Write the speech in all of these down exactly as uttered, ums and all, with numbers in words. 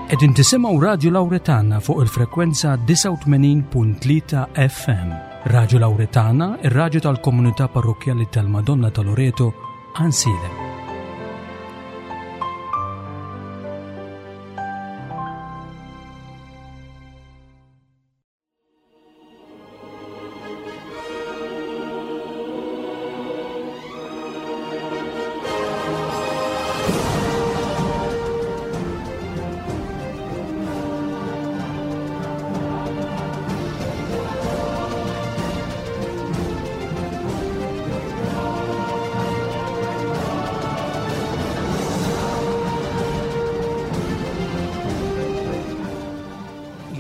Qegħdin tisimgħu Radju Lawretana fuq il-frekwenza disgħa u tmenin punt tlieta F M. Radju Lawretana, ir-radju tal-Komunità Parrokkjali tal-Madonna ta' Loreto, Għajnsielem.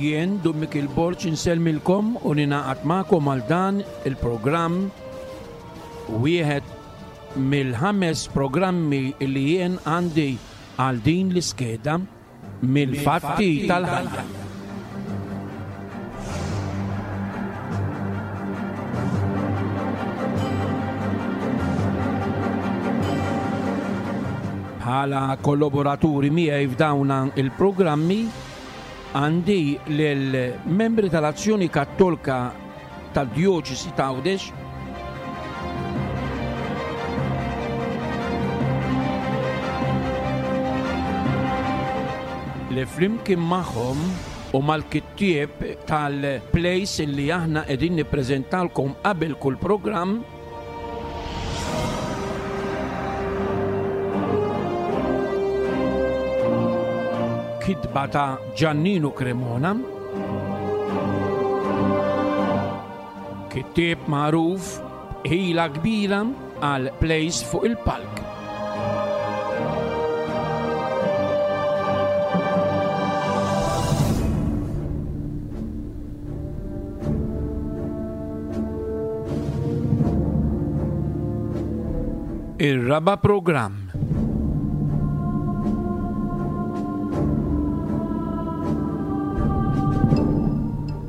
Jien, Dun Mikiel Borg, insellmilkom u ninaqat magħkom għal dan il-programm, wieħed mill-ħames programmi li jien għandi għal din l-iskeda mill-fatti tal-ħajja. Bħala kollaboraturi miegħi f'dawn il-programmi għandi lill-membri tal-Azzjoni Kattolika tad-Djoċesi ta' Għawdex, li flimkien magħhom u mal-kittieb tal-plays li aħna qegħdin nippreżentalkom qabel kull programm, kitba ta' Giannino Cremona, kittieb magħruf ħila kbira għal plays fuq il-palk. Ir-raba' programm.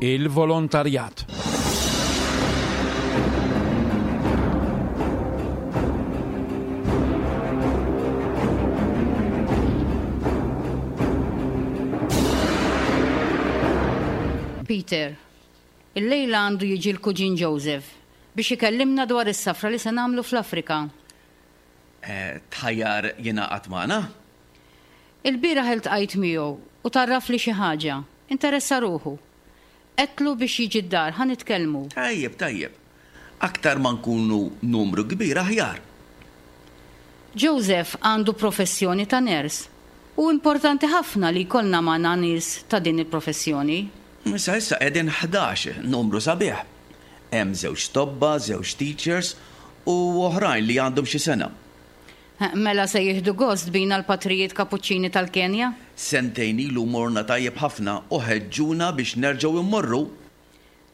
Il-volontarjat. Peter, il-lejla għandu jiġi l-kuġin Joseph biex ikellimna dwar is-safra li se nagħmlu fl-Afrika. Eh, tħajjar jingħaqad magħna? Il-bieraħ iltqajt miegħu u tarraf li xi ħaġa, interessa ruħu. Għedtlu biex jiġi d-dar, ħa nitkellmu. Tajjeb, tajjeb. Aktar ma nkunu numru kbir aħjar. Joseph għandu professjoni ta' ners u importanti ħafna li jkollna magħna nies ta' din il-professjoni. Issa issa qegħdin ħdax, numru sabiħ. Hemm żewġ tobba, żewġ teachers u oħrajn li għandhom xi sena. Mela se jieħdu gost bina l-patrijiet kapuċċini tal-Kenja? Sentejn ilu morna tajjeb ħafna u ħeġġuna biex nerġgħu immorru.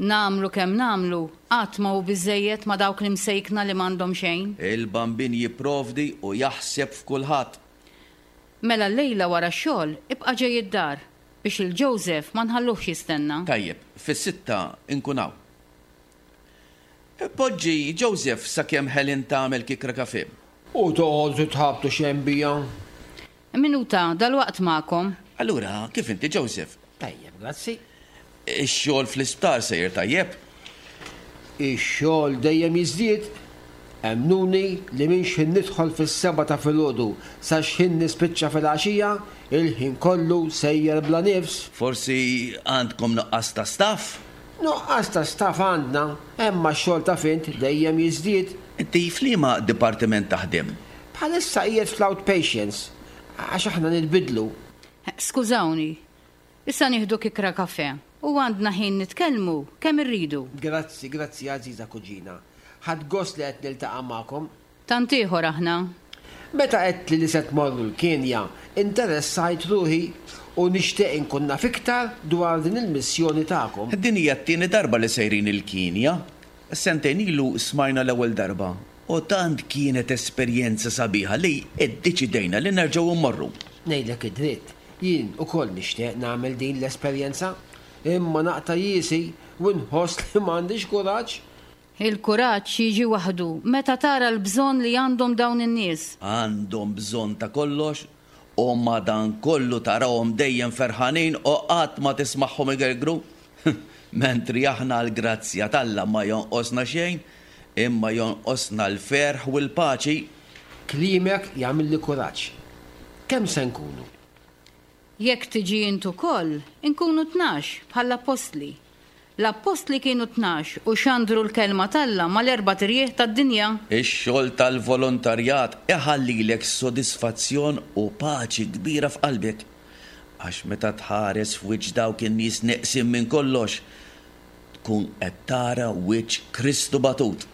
Namlu kemm namlu, qatt ma hu biżejjed ma' dawk li msejkna li m'għandhom xejn. Il-bambin jipprovdi u jaħseb f'kulħadd. Mela llejla wara x-xogħol ibqa' ġej id-dar biex il-Joseph ma nħalluhx jistenna. Tajjeb, fis-sitta nkun hawn. Poġġi Joseph sakemm Helen tagħmel kikra kafe. U toqgħodu titħabtu xejn bija. Minuta, dal-waqt magħkom. Allura, kif inti Joseph? Tajjeb, grazzi. Ix-xogħol fl-isptar sejjer tajjeb? Ix-xogħol dejjem jiżdied. Emmnuni li minn x'ħin nidħol fis-seba' ta' filgħodu sa x'ħin nispiċċa fil-għaxija, il-ħin kollu sejjer bla nifs. Forsi għandkom nuqqas ta' staff? Nuqqas ta' staff għandna, imma x-xogħol ta' fint dejjem jiżdied. Inti f'liema dipartiment taħdem? Bħalissa qiegħed fl-outpatients, għax aħna nitbidlu. Skużawni, issa nieħdu kikra kafe u għandna ħin nitkellmu kemm irridu. Grazzi, grazzi għażiża kuġina. Ħadt gost li qed niltaqa' magħkom. Tant ieħor aħna. Meta għedt li li se tmorru l-Kenja, interessajt ruħi u nixtieq inkun naf iktar dwar din il-missjoni tagħkom. Din hija t-tieni darba li sejrin il-Kenja. Sentejn ilu smajna l-ewwel darba u tant kienet esperjenza sabiħa li iddeċidejna li nerġgħu mmorru. Ngħidlek id-dritt, jien ukoll nixtieq nagħmel din l-esperjenza, imma naqta' jiesi u nħoss li m'għandix kuraġġ. Il-kuraġġ jiġi waħdu meta tara l-bżonn li għandhom dawn in-nies. Għandhom bżonn ta' kollox U madankollu tarahom dejjem ferħanin u qatt ma tismagħhom igergru. Mentri aħna għall-grazzja t'Alla ma jonqosna xejn, imma jonqosna l-ferħ u l-paċi. Kliemek jagħmilli kuraġġ. Kemm se nkunu? Jekk tiġi int ukoll, inkunu tnax bħall-appostli. L-appostli kienu tnax u xandru l-kelma t'Alla mal-erbat irjieħ tad-dinja. Ix-xogħol tal-volontarjat iħallilek sodisfazzjon u paċi kbira f'qalbek. Għax meta tħares f'wiċċ dawk in-nies neqsin minn kollox, tkun qed tara wiċċ Kristu batut.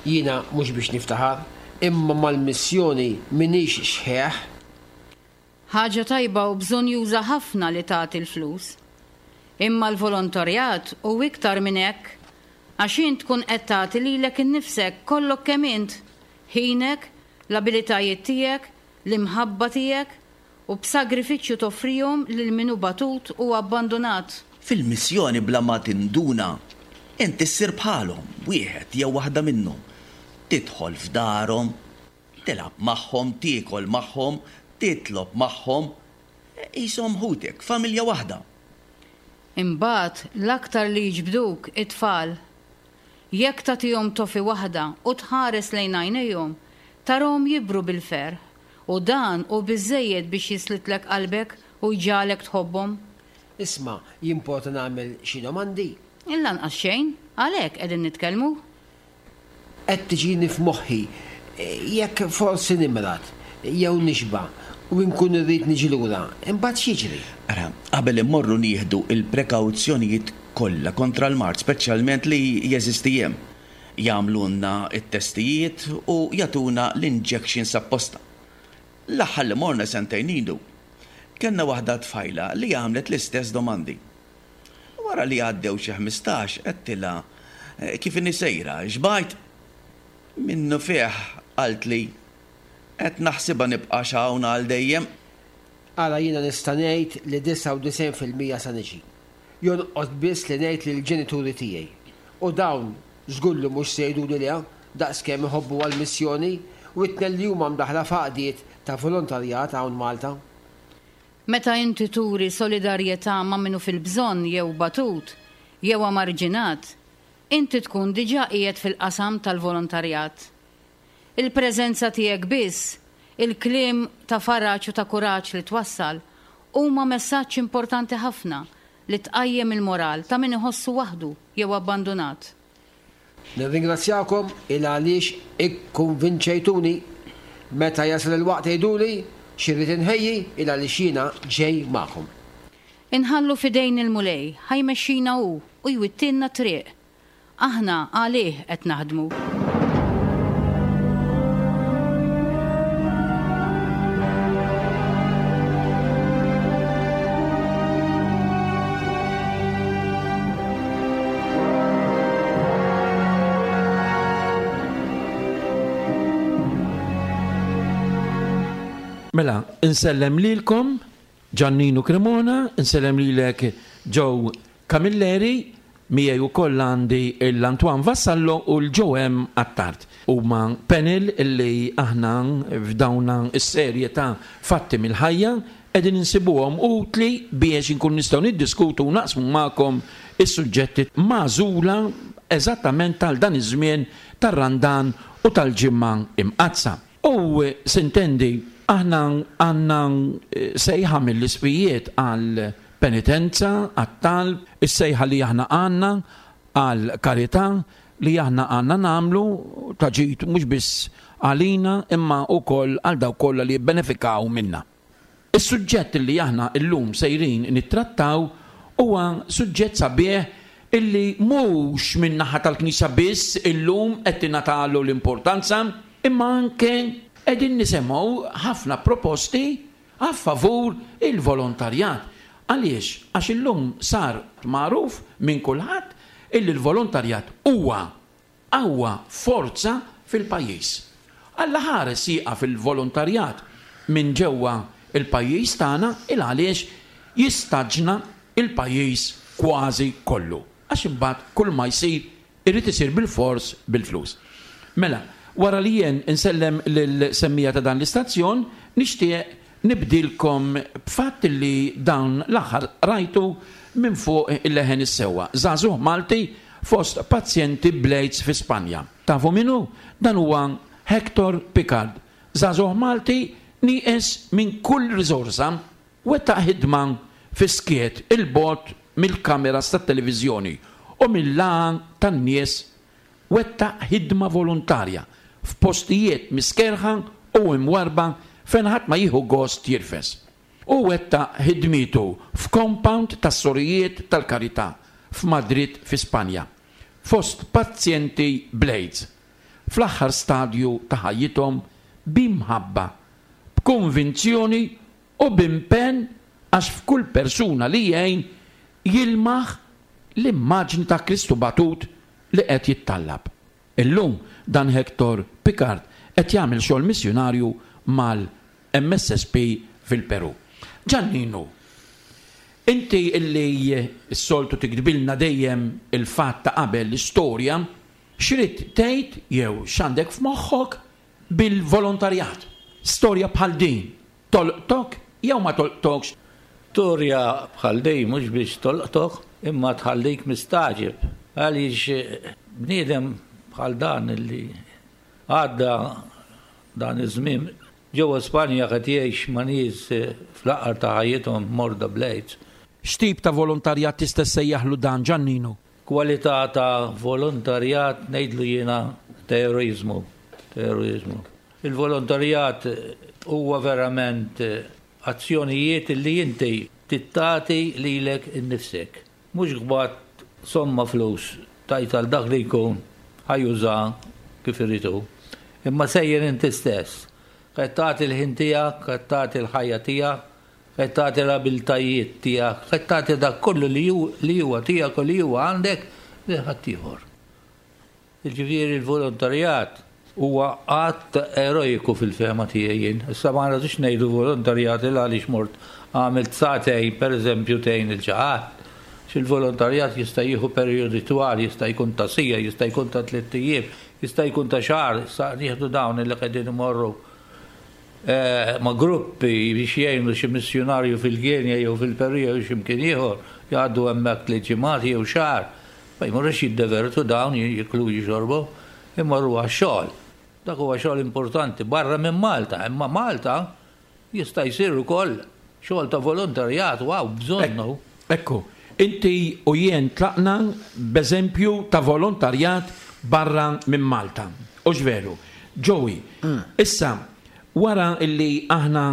Jiena mhux biex niftaħar, imma mal-missjoni m'iniex xħeħ. Ħaġa tajba u bżonnjuża ħafna li tagħti l-flus. Imma l-volontarjat hu iktar minn hekk, għax int tkun qed tagħti lilek innifsek kollok kemm int, ħinek, l-abilitajiet tiegħek, l-imħabba tiegħek, u b'sagrifiċċju toffrihom lil min hu batut u abbandunat. Fil-missjoni bla ma tinduna, int issir bħalhom, wieħed jew waħda minnhom. Tidħol f'darhom, tilgħab magħhom, tiekol magħhom, titlob magħhom, qishom ħutek, familja waħda. Imbagħad l-aktar li jiġbduk it-tfal. Jekk tagħtihom tofi waħda u tħares lejn għajnejhom, tarahom jibru bil-ferħ, u dan hu biżżejjed biex jislitlek qalbek u jġagħlek tħobbhom. Isma', jimporta nagħmel xi domandi? Lanqas xejn, għalhekk qegħdin nitkellmu. Qed tiġini f'moħħi jekk forsi nimrad jew nixba' u nkun irrid niġi lura, imbagħad x'jiġri? Ara, qabel immorru nieħdu il-prekawzjonijiet kollha kontra l-mard, speċjalment li jeżisti hemm. Jagħmlulna t-testijiet u jagħtuna l-injections apposta. L-aħħar li morna sentejn ilu, kellna waħda tfajla li għamlet l-istess domandi. Wara li għaddew xi ħmistax, għedtilha kif inhi sejra, xbajt. Minnu fih qaltli qed naħsibha nibqa' hawn għal dejjem. Ara jiena nista' ngħid li disgħa u disgħin fil-mija sa niġi. Jonqos biss li ngħid lill-ġenituri tiegħi. U dawn żgur li mhux se jgħiduli le daqskemm iħobbu għall-missjoni u t-tnejn li huma mdaħla f'għaqdiet ta' volontarjat hawn Malta. Meta inti turi solidarjetà ma' minnu fil-bżonn jew batut jew amarġinat, inti tkun diġà qiegħed fil-qasam tal-volontarjat. Il-preżenza tiegħek biss, il-kliem ta' faraġ u ta' kuraġġ li twassal, huma messaġġ importanti ħafna li tqajjem il-moral ta' min iħossu waħdu jew abbandunat. Nirringrazzjakom il għaliex ikkonvinċejtuni. Meta jasal il-waqt għiduli x'irrid inħejji il għaliex jiena ġej magħkom. Inħallu f'idejn il-Mulej, ħajmexxina hu u jwittilna triq. Aħna għalih qed naħdmu. Mela, insellem lilkom Giannino Cremona, insellem lilek Joe Camilleri, miegħi wkoll għandi l-Antoine Vassallo u l-Joe M. Attard. Huma panel illi aħna f'dawna s-serje ta' fatti mill-ħajja qegħdin insibuhom utli biex inkun nistgħu niddiskutu u naqsmu magħkom is-suġġetti magħżula eżattament tal dan iż-żmien tar-Randan u tal-Ġimgħa Imqaddsa. U sintendi aħna għandna sejħa mill-isfijiet għal penitenza, għat-talb, is-sejħa li aħna għandna għal karità li aħna għandna nagħmlu ta' ġid mhux biss għalina imma wkoll għal dawk kollha li jibbenefikaw minna. Is-suġġett li aħna llum sejrin nittrattaw huwa suġġett sabiħ illi mhux min-naħa tal-Knisja biss illum qed tingħatalu l-importanza, imma anke qegħdin nisimgħu ħafna proposti a favur il-volontarjat. Għaliex? Għax illum sar magħruf minn kulħadd illi l-volontarjat huwa qawwa forza fil-pajjiż. Alla ħares jieqaf il-volontarjat minn ġewwa il-pajjiż tagħna il għaliex jistaġna il-pajjiż kważi kollu. Għax imbagħad kull ma jsir irid isir bil-fors bil-flus. Mela, wara li jien insellem lil semmija ta' dan l-istazzjon, nixtieq Nibdilkom b'fatt li dawn l-aħħar rajtu minn fuq il-Leħen is-Sewwa. Żagħżugħ Malti fost pazjenti bl-AIDS fi Spanja. Tafu min hu? Dan huwa Hector Picard. Żagħżugħ Malti nieqes minn kull riżorsa, wettaq ħidma fis-skiet 'il bogħod mill-kameras tat-televiżjoni u mill-lagħa tan-nies, wettaq ħidma volontarja f'postijiet miskerħa u imwarrba fejn ħadd ma jieħu gost jirfes. U wettaq ħidmietu f'compound tas-sorijiet tal-karità f'Madrid fi Spanja, fost pazjenti bl-AIDS, fl-aħħar stadju ta' ħajjithom b'imħabba, b'konvinzjoni u b'impenn għax f'kull persuna li jgħin jilmaħ l-immaġni ta' Kristu batut li qed jittallab. Illum dan Hector Picard qed jagħmel xogħol missjunarju mal-M S S P fil-Peru. Ġanninu, inti illi s-soltu tiktbilna dejjem il-fatt ta' qabel l-istorja, x'rid tgħid jew x'għandek f'moħħok bil-volontarjat? Storja bħal din tolqtok jew ma tolqtokx? Storja bħal din mhux biex tolqtok, imma tħallik mistaġib. Għaliex bniedem bħal dan illi għadda dan iż-żmien ġewwa Spanja qed jgħix ma' nies fl-aqar ta' ħajjithom morda bl-AIDS. X'tip ta' volontarjat tista' ssejjaħlu dan, Ġanninu? Kwalità ta' volontarjat ngħidlu jiena terrorizmu. Terrorizmu. Il-volontarjat huwa verament azzjonijiet li inti tittati lilek innifsek. Mhux qbad somma flus tajt għal dak li jkun ħajuża kif iridu. Imma sejjer inti stess. Qed tagħti l-ħin tiegħek, qed tagħti l-ħajja tiegħek, qed tagħti l-abiltajiet tiegħek, qed tagħti dak kollu li hu-, li huwa tiegħek u li huwa għandek lil ħaddieħor. Jiġifieri l-volontarjat huwa att eroiku fil-fehma tiegħi jien. Issa ma rridux ngħidu volontarjat il għaliex mort għamilt sagħtejn pereżempju tgħin il-ġaħat. X'il-volontarjat jista' jieħu perjodi twal, jista' jkun ta' sija, jista' jkun ta' tliet ijiem, jista' jkun ta' xahar, issa nieħdu dawn li qegħdin imorru, eh, ma' gruppi biex jgħinu xi missjunarju fil-Kenja jew fil-Peru jew xi mkien ieħor, jgħaddu hemmhekk tliet ġimgħat jew xahar. Ma jmorrux jiddevertu dawn, jiklu jixorbu, imorru għax-xogħol. Dak huwa xogħol importanti barra minn Malta, imma Malta jista' jsir ukoll xogħol ta' volontarjat u hawn bżonnu. Ekku, inti u jien tlaqna b'eżempju ta' volontarjat barra minn Malta. U x'veru? Joey, Mm. issa wara illi aħna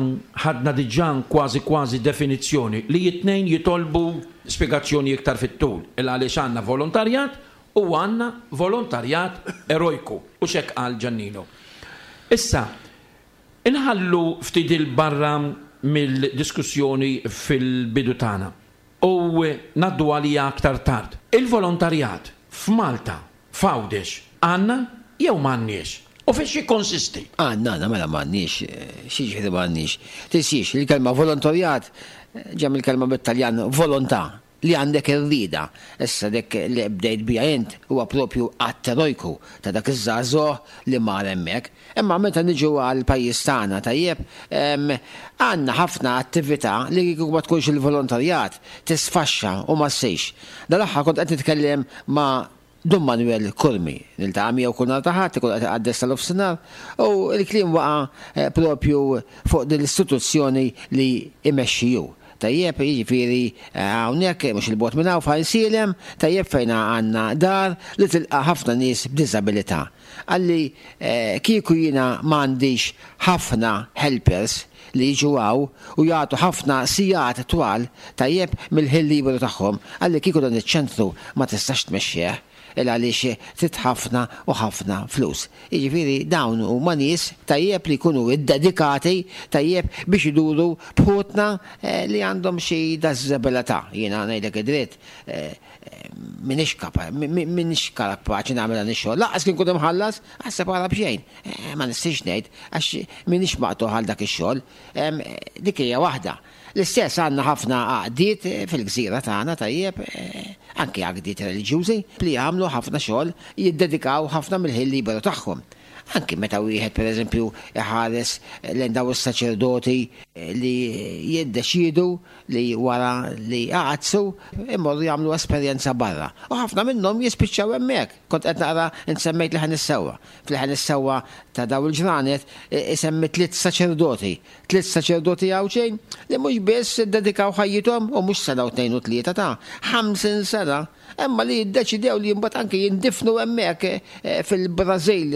ħadna diġà kważi kważi definizzjoni li it-tnejn jitolbu spjegazzjoni iktar fit-tul, il għaliex għandna volontarjat u għandna volontarjat erojku, u x'hekk qal Ġannino. Issa, inħallu ftit il-barra mill-diskussjoni fil-bidu tagħna u ngħaddu għalija aktar tard. Il-volontarjat f'Malta, f'Għawdex, għandna jew m'għandniex? U fiex jikkonsisti? Għandna, għandna, mela m'għandniex, xi ġifieri m'għandniex. Tinsiex, il-kelma volontarjat ġa mill-kelma bit-Taljan volontà, li għandek ir-rieda. Issa dik li bdejt bija int huwa propju att erojku ta' dak iż-żagħżugħ li mar hemmhekk. Imma meta niġu għal pajjiż tagħna tajjeb, em, għandna ħafna attività li kieku ma tkunx il-volontarjat tisfaxxa u ma ssejx. Dal-aħħar kont qed nitkellem ma' Dun Manuel Curmi, niltaqa' miegħu kull nhar ta' Ħadd, ikun qed iqaddes tal-ofsinhar, u l-kliem waqa', eh, propju fuq din l-istituzzjoni li imexxi hu. Tajjeb, jiġifieri, eh, hawnhekk mhux il-bogħod minn hawn f'Għajnsielem, tajjeb fejn għandna dar li tilqa' ħafna nies b'diżabilità. Għalli, eh, kieku jiena m'għandix ħafna helpers li jiġu hawn u jagħtu ħafna sigħat twal tajjeb mill-ħin liberu tagħhom, għalli kieku dan iċ-ċentru ma tistax tmexxih il għaliex trid ħafna u ħafna flus. Jiġifieri dawn huma nies tajjeb li jkunu iddedikati tajjeb biex iduru bħutna, eh, li għandhom xi diżabilità. Jiena ngħidlek id-dritt, eh, eh, m'iniex kapa-, mi-, mi-, m'iniex kapaċi nagħmel dan ix-xogħol. Lanqas kien kont imħallas, aħseb ara b'xejn. Eh, ma nistax ngħid għax m'iniex maqtugħ għal dak ix-xogħol. Em, dik hija waħda. L-istess għandna ħafna għaqdiet fil-gżira tagħna tajjeb, eh, anke għaqdiet reliġjużi li jagħmlu ħafna xogħol, jiddedikaw ħafna mill-ħin liberu tagħhom. Anki meta wieħed pereżempju iħares lejn dawn is-saċerdoti li jiddeċiedu li wara li għadsu imorru jagħmlu esperjenza barra. U ħafna minnhom jispiċċaw hemmhekk. Kont qed naqra insemmejt li ħan is-sewwa. Fil-ħan is-sewwa ta' daw il-ġranet isemmi tliet saċerdoti. Tliet saċerdoti Għawdxejn li mhux biss iddedikaw ħajjithom u mhux sena u tnejn u tlieta ta' ħamsin sena, imma li jiddeċidew li mbagħad anke jindifnu hemmhekk fil-Brażil,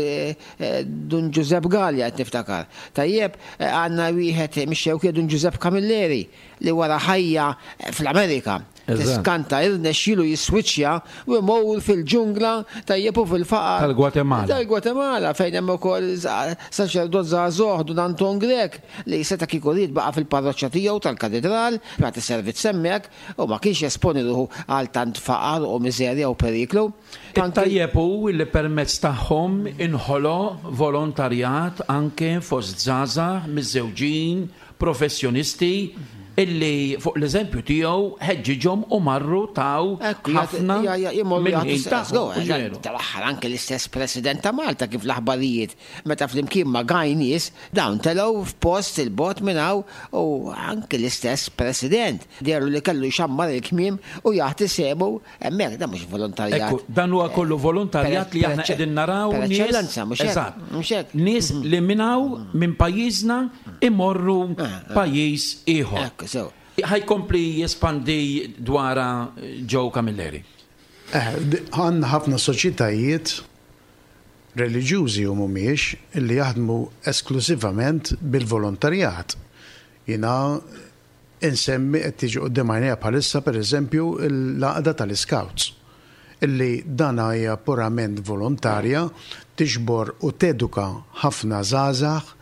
Dun Ġużepp Galea qed niftakar. Tajjeb, għandna wieħed mix-Xewkija, Dun Ġużepp Camilleri, li wara ħajja fl-Amerika tiskanta irnexxielu jiswiċċja u jmur fil-ġungla, tajjeb, u fil-faqar. Tal-Gwatemala. Tal-Gwatemala, fejn hemm ukoll saċerdot żagħżugħ, Dun Anton Grech, li seta' kieku ried baqa' fil-parroċċa tiegħu tal-katedral, jagħti servizz hemmhekk u ma kienx jesponi ruħu għal tant faqar u miżerja u periklu. Tajjeb hu li permezz tagħhom inħoloq volontarjat anke fost żgħażagħ, miżżewġin, professjonisti, illi fuq l-eżempju tiegħu ħeġġiġhom u marru taw ħafna mill-ħin tagħhom. Tal-aħħar anke l-istess President ta' Malta, kif l-aħbarijiet, meta flimkien ma' gajnies dawn telgħu f'post il-bot minn hawn u anke l-istess President dehru li kellu jxammar il-kmiem u jaħti semu hemmhekk. Dan mhux volontarjat. Ekku, dan huwa kollu volontarjat li aħna qegħdin naraw Per nies- eċċellenza, mhux hekk? Eżatt. Mhux hekk? Nies li minn hawn, minn pajjiżna, imorru pajjiż ieħor. Ekku, so. Ħa jkompli jespandi dwarha Joe Camilleri. Eh, Għandna ħafna soċjetajiet reliġjużi u mhumiex illi jaħdmu esklusivament bil-volontarjat. Jiena insemmi, qed tiġi quddiem għajnejja bħalissa, pereżempju, l-għaqda tal-Scouts, illi dana hija purament volontarja, tiġbor u teduka ħafna żgħażagħ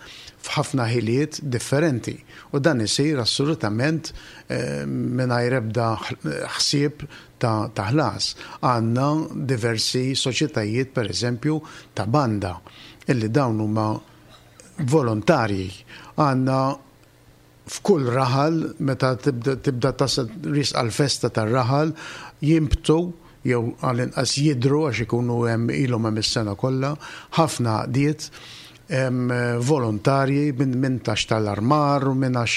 f'ħafna ħiliet differenti. U dan isir assolutament eh, mingħajr ebda ħsieb ta' ta' ħlas. Għandna diversi soċjetajiet, per eżempju, ta' banda, illi dawn huma volontarji. Għandna f'kull raħal, meta tibda, tibda tasal riesqa l-festa tar-raħal, jimbtu jew għall-inqas jidru, għax ikunu hemm ilhom hemm is-sena kollha, ħafna għaqdiet em, volontarji minn min tax tal-armar u minn għax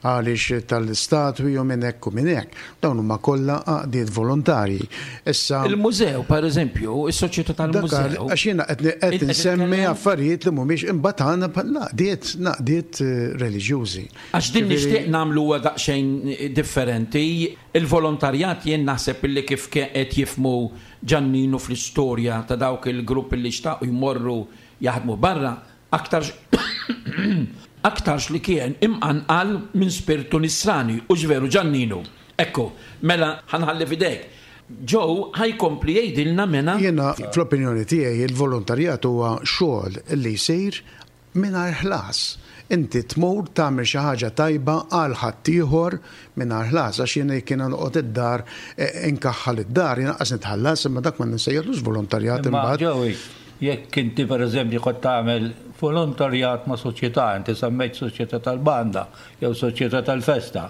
għaliex tal-statwi u minn hekk u minn hekk. Dawn huma kollha għaqdiet volontarji. Issa Il-mużew, per eżempju, is-soċjetà tal-mużew. Għax jiena qed qed Qed insemmi titkellem- affarijiet li mhumiex, imbagħad għandna l-għaqdiet l-għaqdiet eh, reliġjużi. Għax din Ġifieri- nixtieq nagħmlu huwa daqsxejn differenti. Il-volontarjat jien naħseb illi kif qed jifhmu Ġanninu fl-istorja ta' dawk il-grupp li xtaqu jmorru jaħdmu barra, aktarx aktarx li kien imqanqal minn spirtu nisrani u ġveru, Ġanninu. Ekku, mela ħa nħalli f'idejk. Joe ħa jkompli jgħidilna mena. Jiena fl-opinjoni tiegħi il-volontarjat huwa xogħol li jsir mingħajr ħlas. Inti tmur tagħmel xi ħaġa tajba għal ħaddieħor mingħajr ħlas, għax jiena jekk jiena noqgħod id-dar eh, inkaħħal id-dar, jiena qas nitħallas, imma dak ma nsejjaħlux volontarjat Imma imbagħad. Joey, jekk inti per eżempju kont tagħmel volontarjat ma' soċjetà, inti semmejt soċjetà tal-banda jew soċjetà tal-festa,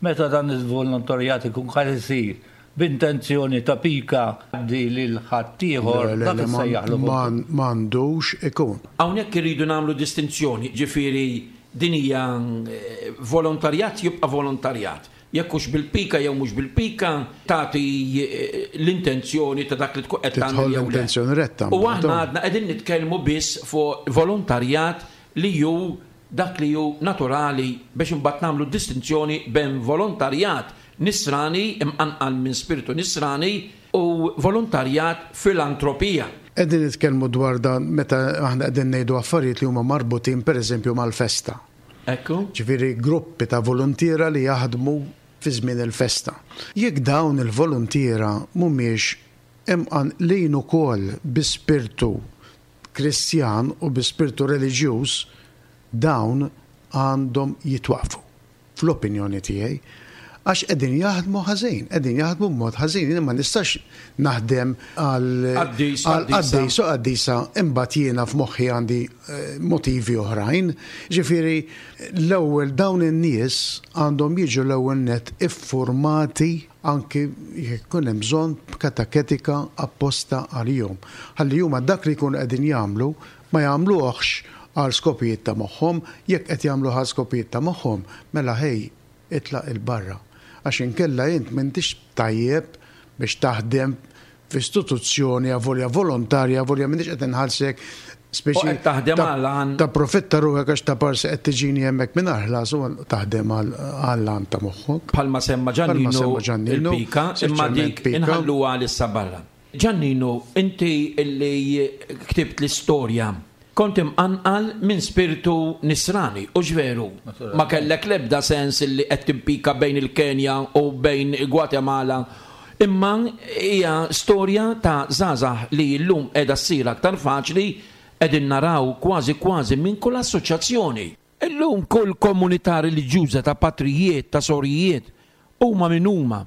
meta dan il-volontarjat ikun qed isir b'intenzjoni ta' pika di lil ħaddieħor, Le, le, dak le, ma- issejjaħlu ma- M'għandux ikun. Hawnhekk irridu nagħmlu distinzjoni, ġifieri din hija eh, volontarjat jibqa' volontarjat. Jekk hux bil-pika jew mhux bil-pika, tagħti eh, l-intenzjoni ta' dak li tkun qed tagħmel Tidħol jew le. l-intenzjoni retta. U aħna għadna qegħdin nitkellmu biss fuq volontarjat li ju dak li ju naturali, biex imbagħad nagħmlu distinzjoni bejn volontarjat nisrani imqanqal minn spiritu nisrani u volontarjat filantropija. Qegħdin nitkellmu dwar dan meta aħna qegħdin ngħidu affarijiet li huma marbutin, pereżempju, mal-festa. Ekku. Ġifieri gruppi ta' volontiera li jaħdmu fi żmien il-festa. Jekk dawn il-volontiera mhumiex imqanqlin ukoll bi spirtu Kristjan u bi spirtu reliġjuż, dawn għandhom jitwaqfu. Fl-opinjoni tiegħi, għax qegħdin jaħdmu ħażin, qegħdin jaħdmu b'mod ħażin. Jien ma nistax naħdem għal Qaddis, għal qaddisa. qaddis u qaddisa, imbagħad jiena f'moħħi għandi eh, motivi oħrajn. Ġifieri l-ewwel dawn in-nies għandhom jiġu l-ewwel net iffurmati, anki jekk ikun hemm bżonn kateketika apposta għalihom. Ħalli huma dak li jkunu qegħdin jagħmlu Ma jagħmluhx għal skopijiet ta' moħħhom, jekk qed jagħmlu għal skopijiet ta' moħħhom, mela ħej itlaq 'il barra. Għax inkella int m'intix tajjeb biex taħdem f'istituzzjoni avolja volontarja, avolja m'intix qed inħallsek speċi taħdem għal ta' profitta ruħek għax ta' parsi qed tiġini hemmhekk mingħajr ħlas u taħdem għal ta' moħħok. Bħalma semma Ġannino il-pika, imma dik inħalluha issa barra. Ġannino, inti illi ktibt l-istorja kont imqanqal minn spiritu nisrani, u ġveru, ma kellek lebda sens illi qed timpika bejn il-Kenja u bejn il-Gwatemala, imma hija storja ta' żgħażagħ li llum qiegħda ssir aktar faċli, qegħdin naraw kważi kważi minn kull assoċjazzjoni. Illum kull komunità reliġjuża ta' patrijiet, ta' sorijiet, huma min huma.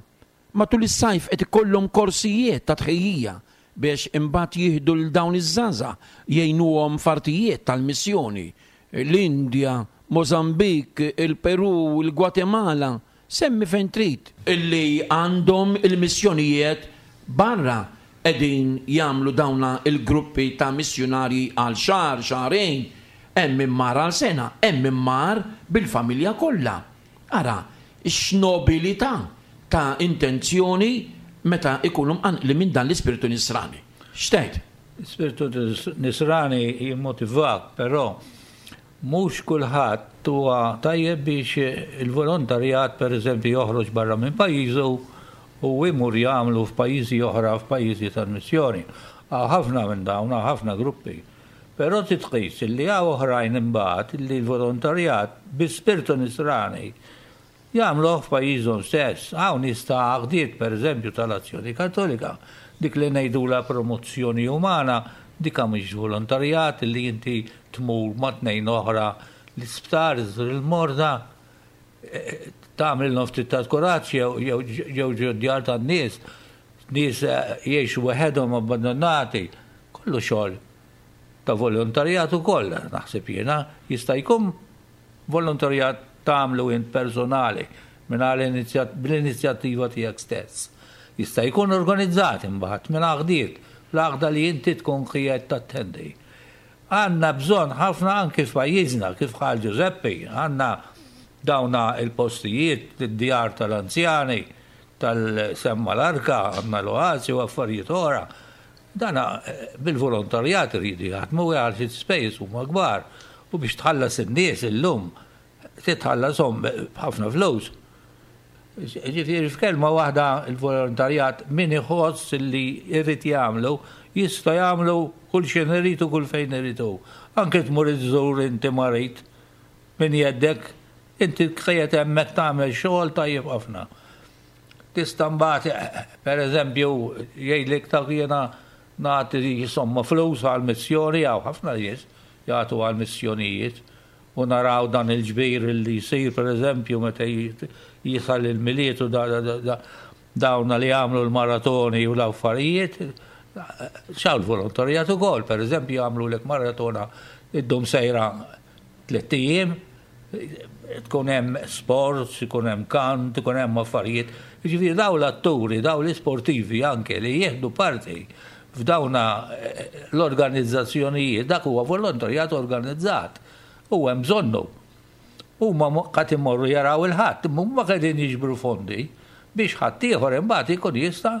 Matul is-sajf qed ikollhom korsijiet ta' tħejjija biex imbagħad jieħdu l dawn iż-żgħażagħ jgħinuhom f'artijiet tal-missjoni. L-Indja, Mozambik, il-Peru, il-Gwatemala, semmi fejn trid. Illi għandhom il-missjonijiet barra qegħdin jagħmlu dawna il-gruppi ta' missjonarji għal xahar, xahrejn, hemm min mar għal sena, hemm min mar bil-familja kollha. Ara, x'nobilità ta' intenzjoni meta ikunu mqanqli minn dan l-ispirtu nisrani. X'tgħid? L-ispirtu nisrani jimmotivak, però mhux kulħadd huwa tajjeb biex il-volontarjat pereżempju joħroġ barra minn pajjiżu u imur jagħmlu f'pajjiżi oħra, f'pajjiżi tal-missjoni. Hawn ħafna minn dawn, hawn ħafna gruppi. Però titqis li hawn oħrajn imbagħad li l-volontarjat bi spirtu nisrani jagħmluh f'pajjiżhom stess. Hawn nies ta' għaqdiet pereżempju tal-Azzjoni Kattolika, dik li ngħidulha promozzjoni umana, dik mhix volontarjat li inti tmur ma' tnejn oħra l-isptar, iżżur il-morda, tagħmel ftit ta' kuraġġ jew jew ġo djar tan-nies, nies jgħixu waħedhom abbandonati, kollu xogħol ta' volontarjat ukoll, naħseb jiena, jista' jkun volontarjat tagħmlu int personali mingħajr bl-inizjattiva tiegħek stess. Jista' jkun organizzat imbagħad minn għaqdiet, l-għaqda li inti tkun qiegħed tattendi. Għandna bżonn ħafna anki f'pajjiżna, kif qal Giuseppe, għandna dawna il-postijiet, id-djar tal-anzjani, tal-semma l-arka, għandna l-oasi u affarijiet oħra. Dana bil-volontarjat iridu jaħdmu għal xi spejjeż huma kbar u biex tħallas in-nies illum titħallashom b'ħafna flus. Ġifieri f'kelma waħda il-volontarjat min iħoss li jrid jagħmlu jista' jagħmlu kull xejn irid u kull fejn irid hu. Anke tmur iżżur inti marid min jeddek, inti qiegħed hemmhekk tagħmel xogħol tajjeb ħafna. Tista' mbagħad pereżempju jgħidlek ta' jiena nagħti somma flus għall-missjoni, hawn ħafna nies jagħtu għall-missjonijiet u naraw dan il-ġbir li jsir pereżempju meta jisal il-Milied u dawna li jagħmlu l-maratoni u l-affarijiet, xaw l-volontarjat ukoll, pereżempju jagħmlu lek maratona iddum sejra tliet ijiem, tkun hemm sports, ikun hemm kant, ikun hemm affarijiet. Jiġifieri daw l-atturi, daw l-isportivi anke li jieħdu parti f'dawna l-organizzazzjonijiet, dak huwa volontarjat organizzat. U hemm bżonnu. Huma qed imorru jaraw il-ħadd, imma huma qegħdin jiġbru fondi biex ħadd ieħor imbagħad ikun jista'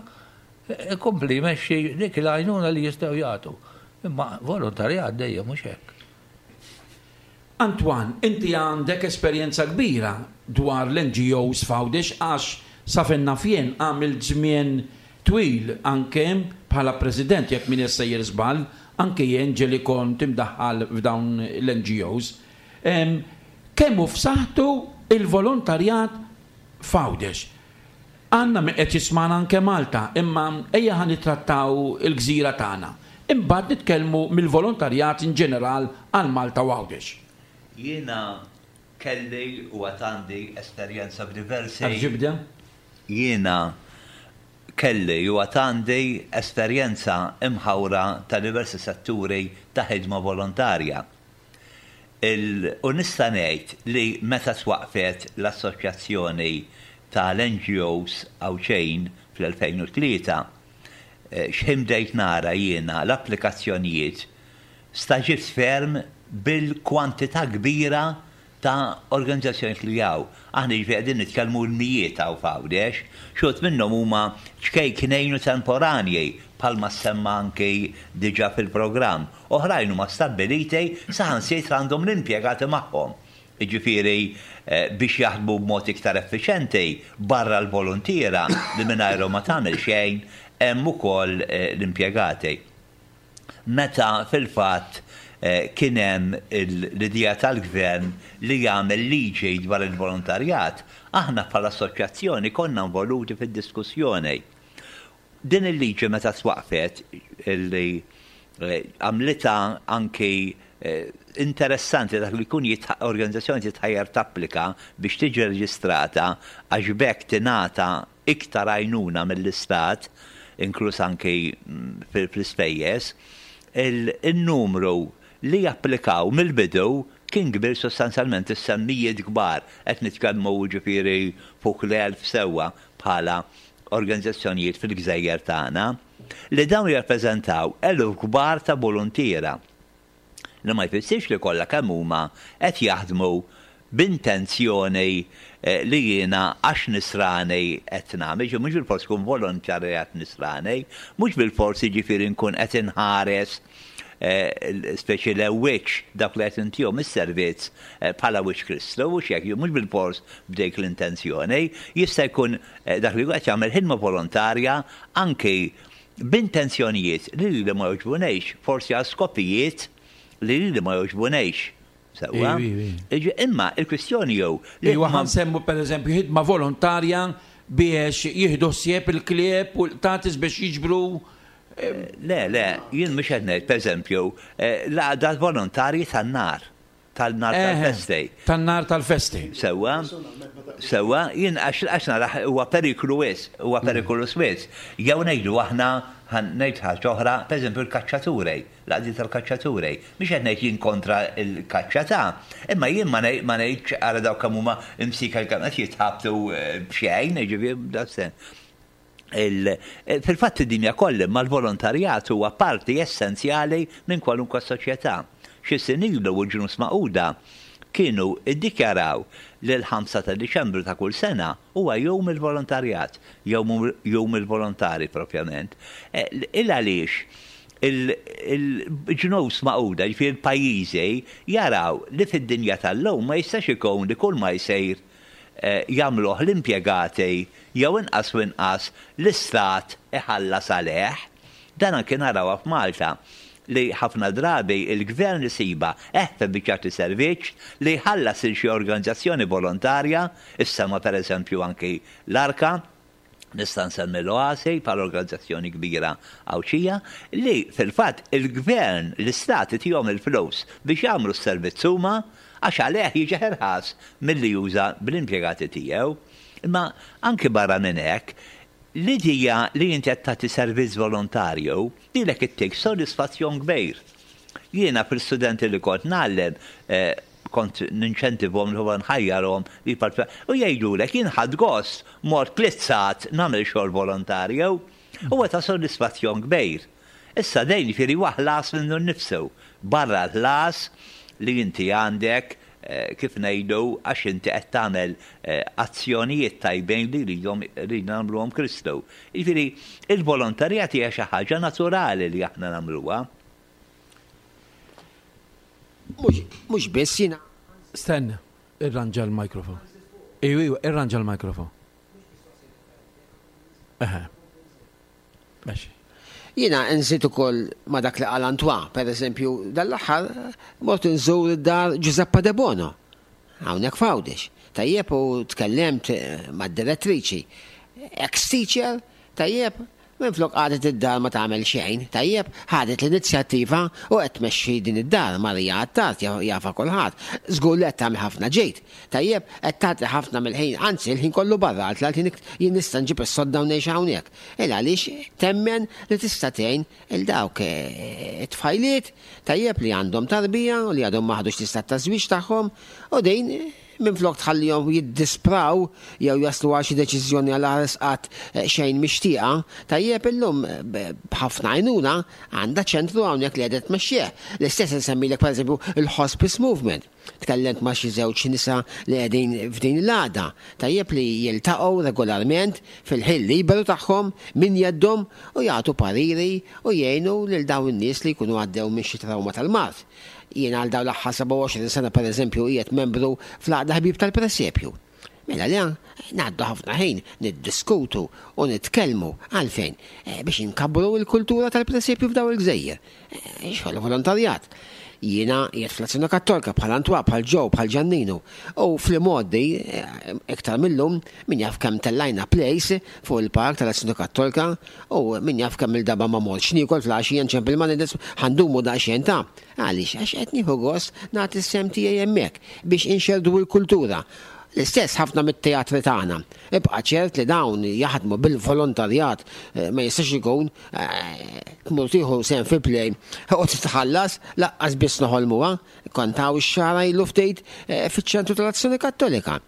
ikompli jmexxi dik il-għajnuna li jistgħu jagħtu. Imma volontarjat dejjem mhux hekk. Antoine, inti għandek esperjenza kbira dwar l-N G Os f'Għawdex għax sa fejn naf jien għamilt żmien twil anke bħala president, jekk min sejjer żball, anke jien ġeli kont imdaħħal f'dawn l-N G Os. Kemm hu f'saħħtu il-volontarjat f'Għawdex? Għandna min qed jismana anke Malta, imma ejja ħa nittrattaw il-gżira tagħna. Imbagħad nitkellmu mill-volontarjat in ġeneral għal Malta u Għawdex. Jiena kelli u għad għandi esperjenza f'diversi Għal-ġibda? Jiena kelli u għad għandi esperjenza imħawra ta' diversi setturi ta' ħidma volontarja. Il-, u nista' ngħid li meta twaqfet l-Assoċjazzjoni tal-N G Os Għawdxejn fl-elfejn u tlieta, eh, x'ħin bdejt nara jiena l-applikazzjonijiet Stagħġibt ferm bil-kwantità kbira ta' organizzazzjoni li hawn. Aħna ġifieri qegħdin nitkellmu l-mijiet hawn f'Għawdex, xi wħud minnhom huma ċkejknejn u temporanji bħalma semma anki diġà fil-programm. Oħrajn huma stabbiliti, saħansitra għandhom l-impjegati magħhom. Jiġifieri biex jaħdmu b'mod iktar effiċenti barra l-voluntiera li mingħajrhom ma tagħmel xejn, hemm ukoll l-impjegati. Meta fil-fatt kien hemm l-idea tal-gvern li jagħmel liġi dwar il-volontarjat, aħna bħala assoċjazzjoni konna involuti fid-diskussjoni. Din il-liġi meta twaqfet li għamlita anki interessanti dak li jkun organizzazzjoni titħajjar tapplika biex tiġi reġistrata għax b'hekk tingħata iktar għajnuna mill-istat, inkluż anki fl-ispejjeż, il-numru li japplikaw mill-bidu kien kbir sostanzjalment, is-semmijiet kbar, qed nitkellmu ġifieri fuq l-elf sewwa bħala organizzazzjonijiet fil-gżejjer tagħna, li dawn jirrappreżentaw eluf kbar ta' voluntiera. Li ma jfissirx li kollha kemm huma qed jaħdmu b'intenzjoni li jiena għax nisrani qed nagħmel, ġi mhux bilfors tkun volontarjat nisrani, mhux bilfors jiġifieri nkun qed inħares speċi le wiċċ dak li qed intihom is-servizz bħala wiċċ Kristu, mhux hekk, mhux bilfors b'dik l-intenzjoni, jista' jkun dak li qed jagħmel ħidma volontarja anki b'intenzjonijiet li li ma jogħġbunejx, forsi għal skopijiet li li ma jogħġbunejx. Sewwa? Imma il-kwistjoni jew li huwa nsemmu pereżempju ħidma volontarja biex jieħdu ħsieb il-klieb u l-qtatis biex jiġbru. Le, le, jien mhux qed ngħid pereżempju l-għaqda volontarji tan-nar, tal-nar tal-festi. Tan-nar tal-festi. Sewwa, sewwa, jien għax naraħ huwa periklu wisq, huwa periklu wisq. Jew ngħidu aħna ngħid ħaġa oħra, pereżempju l-kaċċaturi, l-għaqdiet tal-kaċċaturi. Mhux qed ngħid jien kontra l-kaċċa ta', imma jien ma ngħidx ara dawk kemm huma imsika kemm qed jitħabtu b'xejn, jiġifieri daqshekk. Fil-fatt id-dinja kollha imma l-volontarjat huwa parti essenzjali minn kwalunkwe soċjetà. Xi snin ilu u l-Ġnus Magħquda kienu iddikjaraw li l-ħamsa ta' Diċembru ta' kull sena huwa jum il-volontarjat, jum il-volontari propjament. Il għaliex il-Ġnus Magħquda, ġifieri l-pajjiżi, jaraw li fid-dinja tal-lum ma jistax ikun li kull ma jsir jagħmluh l-impjegati jew inqas u inqas l-istat iħallas għalih. Dan anke narawha f'Malta li ħafna drabi il-gvern isiba eħfef biex jagħti servizz li jħallas lil xi organizzazzjoni volontarja, issema pereżempju anki l-Arka, nista' nsemmi l-Oasi bħala organizzazzjoni kbira Għawdxija, li fil-fatt il-gvern, l-istat itihom il-flus biex jagħmlu s-servizz huma għax għalih jiġi ħerħas milli juża bl-impjegati tiegħu. Imma anki barra minn hekk, l-idea li inti qed tagħti servizz volontarju lilek ittik sodisfazzjon kbir. Jiena fil-studenti li kont ngħallem kont ninċentivhom li huwa nħajjarhom li jipparteċipaw u jgħidulek jien ħadd gost mort tliet sigħat nagħmel xogħol volontarju, huwa ta' sodisfazzjon kbir. Issa dejn jiġifieri huwa ħlas minnu nnifsu, barra l-ħlas li inti għandek kif ngħidu għax inti qed tagħmel azzjonijiet tajbin li jridhom rridna nagħmluhom Kristu. Jiġifieri il-volontarjat hija xi ħaġa naturali li aħna nagħmluha. Mhux biss jiena. Stenna, irranġa l-mikrofon. Ejju, ejju, irranġa l-mikrofon. Eħe. Mexi. Jiena nżid ukoll ma' dak li qal Antoine, per eżempju, dal-aħħar mort nżur id-dar Giuseppa De Bono, hawnhekk f'Għawdex. Tajjeb u tkellimt mad-direttriċi. Ex-teacher, tajjeb, minflok qagħdet id-dar ma tagħmel xejn, tajjeb, ħadet l-inizjattiva u qed tmexxi din id-dar, Marija Attard jafa kulħadd. Żgur li qed tagħmel ħafna ġejt. Tajjeb, qed tagħti ħafna mill-ħin, anzi l-ħin kollu barra, għal tliet jien nista' nġib is-sodda u ngħix hawnhekk. Il għaliex temmen li tista' tgħin il dawk it-tfajliet tajjeb li għandhom tarbija u li għadhom ma ħadux l-istat ta' żwieġ tagħhom u din Minflok tħallihom jiddispraw jew jaslu għal xi deċiżjoni għal ħares qatt xejn mixtieqa, tajjeb illum b'ħafna għajnuna għandha ċentru hawnhekk li qiegħda tmexxih. L-istess insemmilek pereżempju il-Hospice Movement. Tkellimt ma' xi żewġ nisa li qegħdin f'din l-għaqda. Tajjeb li jiltaqgħu regolarment fil-ħin liberu tagħhom min jeddhom u jagħtu pariri u jgħinu lil dawn in-nies li jkunu għaddew minn xi trawma tal-mard. Jien għal dawn l-aħħar sebgħa u għoxrin sena pereżempju qiegħed membru fl-Għaqda Ħbieb tal-Presepju. Mela li ngħaddu ħafna ħin niddiskutu u nitkellmu għalfejn biex inkabbru l-kultura tal-presepju f'daw il-gżejjer. Xogħol volontarjat. Jiena qiegħed fl-Azzjoni Kattolika bħal Antwa, bħal Ġew, bħal Ġanninu. U fl-modi iktar millum min jaf kemm tellajna place fuq il-park tal-Azzjoni Kattolika u min jaf kemm il-daba ma mortx niekol fl-għaxija nċempel ma nides ħandumu daqsxejn ta'. Għaliex għax qed nieħu gost nagħti s-sem tiegħi hemmhekk biex inxerdu l-kultura. L-istess ħafna mit-teatri tagħna. Ibqa' ċert li dawn jaħdmu bil-volontarjat, ma jistax ikun tmur tieħu sehem fi play u titħallas laqqas biss noħolmuha. Kontaw ix-xara ilu ftit fiċ-ċentru tal-Azzjoni Kattolika.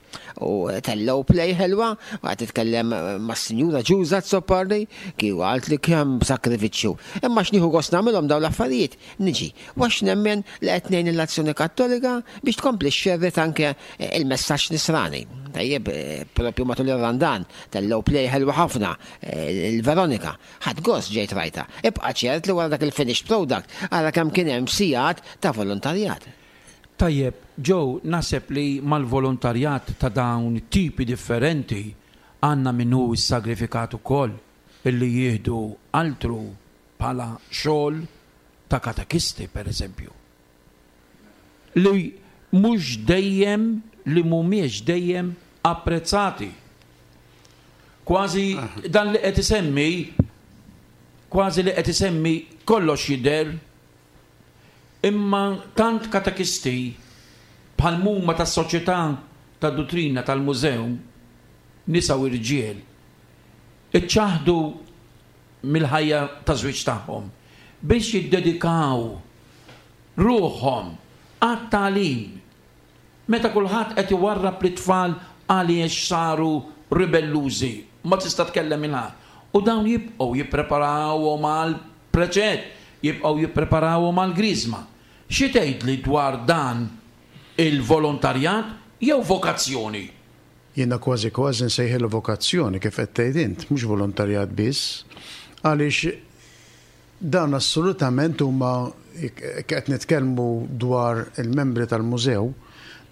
U tellgħu play ħelwa, u qed titkellem mas-Sinjura Ġuża Azzopardi, kieku qalt li kemm sakrifiċċju. Imma x'nieħu gost nagħmilhom dawn l-affarijiet, niġi. U għax nemmen li qed ngħin l-Azzjoni Kattolika biex tkompli xxerred anke il-messaġġ nisrani. Tajjeb, propju matul ir-Randan tellgħu play ħelwa ħafna, il-Veronika. Ħadd gost ġejt rajta. Ibqa' ċert li wara dak il-finished product ara kemm kien hemm sigħat ta' volontarjat. Tajjeb, Joe, naħseb li mal-volontarjat ta' dawn tipi differenti għandna minnu s-sagrifikat ukoll illi jieħdu altru bħala xogħol ta' katekisti, per eżempju. Li mhux dejjem, li mhumiex dejjem apprezzati. Kważi dan li qed isemmi, kważi li qed isemmi kollox jidher, imma tant katekisti bħal muma tas-soċjetà tad-duttrina tal-mużew, nisa u irġiel, iċċaħdu mill-ħajja ta' żwieġ tagħhom biex jiddedikaw ruħhom għat-tagħlim. Meta kulħadd qed iwarrab lit-tfal għaliex saru ribellużi, ma tista' tkellem il ħadd. U dawn jibqgħu jippreparawhom għal preċett, jibqgħu jippreparawhom għal griżma. Xi tgħidli dwar dan il-volontarjat jew vokazzjoni? Jiena kważi kważi nsejħilu vokazzjoni kif qed tgħid int, mhux volontarjat biss, għaliex dan assolutament huma qed nitkellmu dwar il-membri tal-mużew,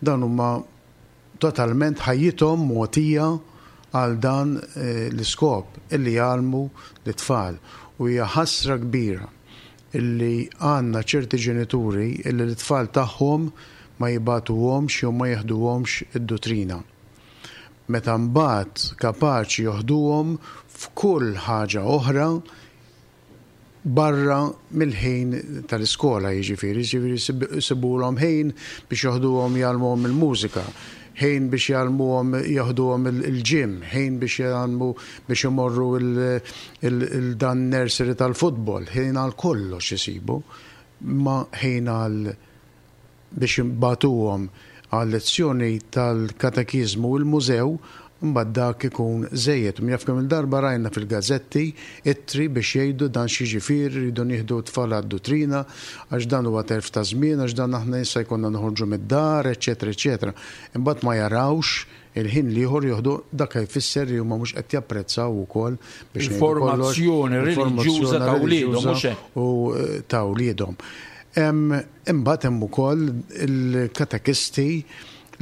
dan huma totalment ħajjithom mogħtija għal dan l-iskop illi jgħallmu l-tfal. U hija ħasra kbira illi għandna ċerti ġenituri illi l-tfal tagħhom ma jibatuhomx jew ma jeħduhomx id-duttrina. Meta mbagħad kapaċi joħduhom f'kull ħaġa oħra barra mill-ħin tal-iskola, jiġifieri, jiġifieri sibulhom ħin biex joħduhom jgħallmuhom il-mużika, ħin biex jgħallmuhom joħduhom il-gym, ħin biex jgħallmu biex imorru il-dan nursery tal-futbol, ħin għal kollox isibu, ma ħin għal biex jibatuhom għal lezzjoni tal-katekiżmu u l-mużew, mbagħad dak ikun żejjed. Min jaf kemm il-darba rajna fil-gazzetti ittri biex jgħidu dan xi ġifieri rridu nieħdu tfal għad-duttrina għax dan huwa telf ta' żmien, għax dan aħna issa jkollna noħorġu mid-dar, eċetera, eċetera. Imbagħad ma jarawx il-ħin l-ieħor joħdu dak jfisser li huma mhux qed japprezzaw ukoll biex ngħidu kollox, Il-formazzjoni reliġjuża ta' wliedhom, mhux hekk? u ta' wliedhom. Imbagħad hemm ukoll il-katekisti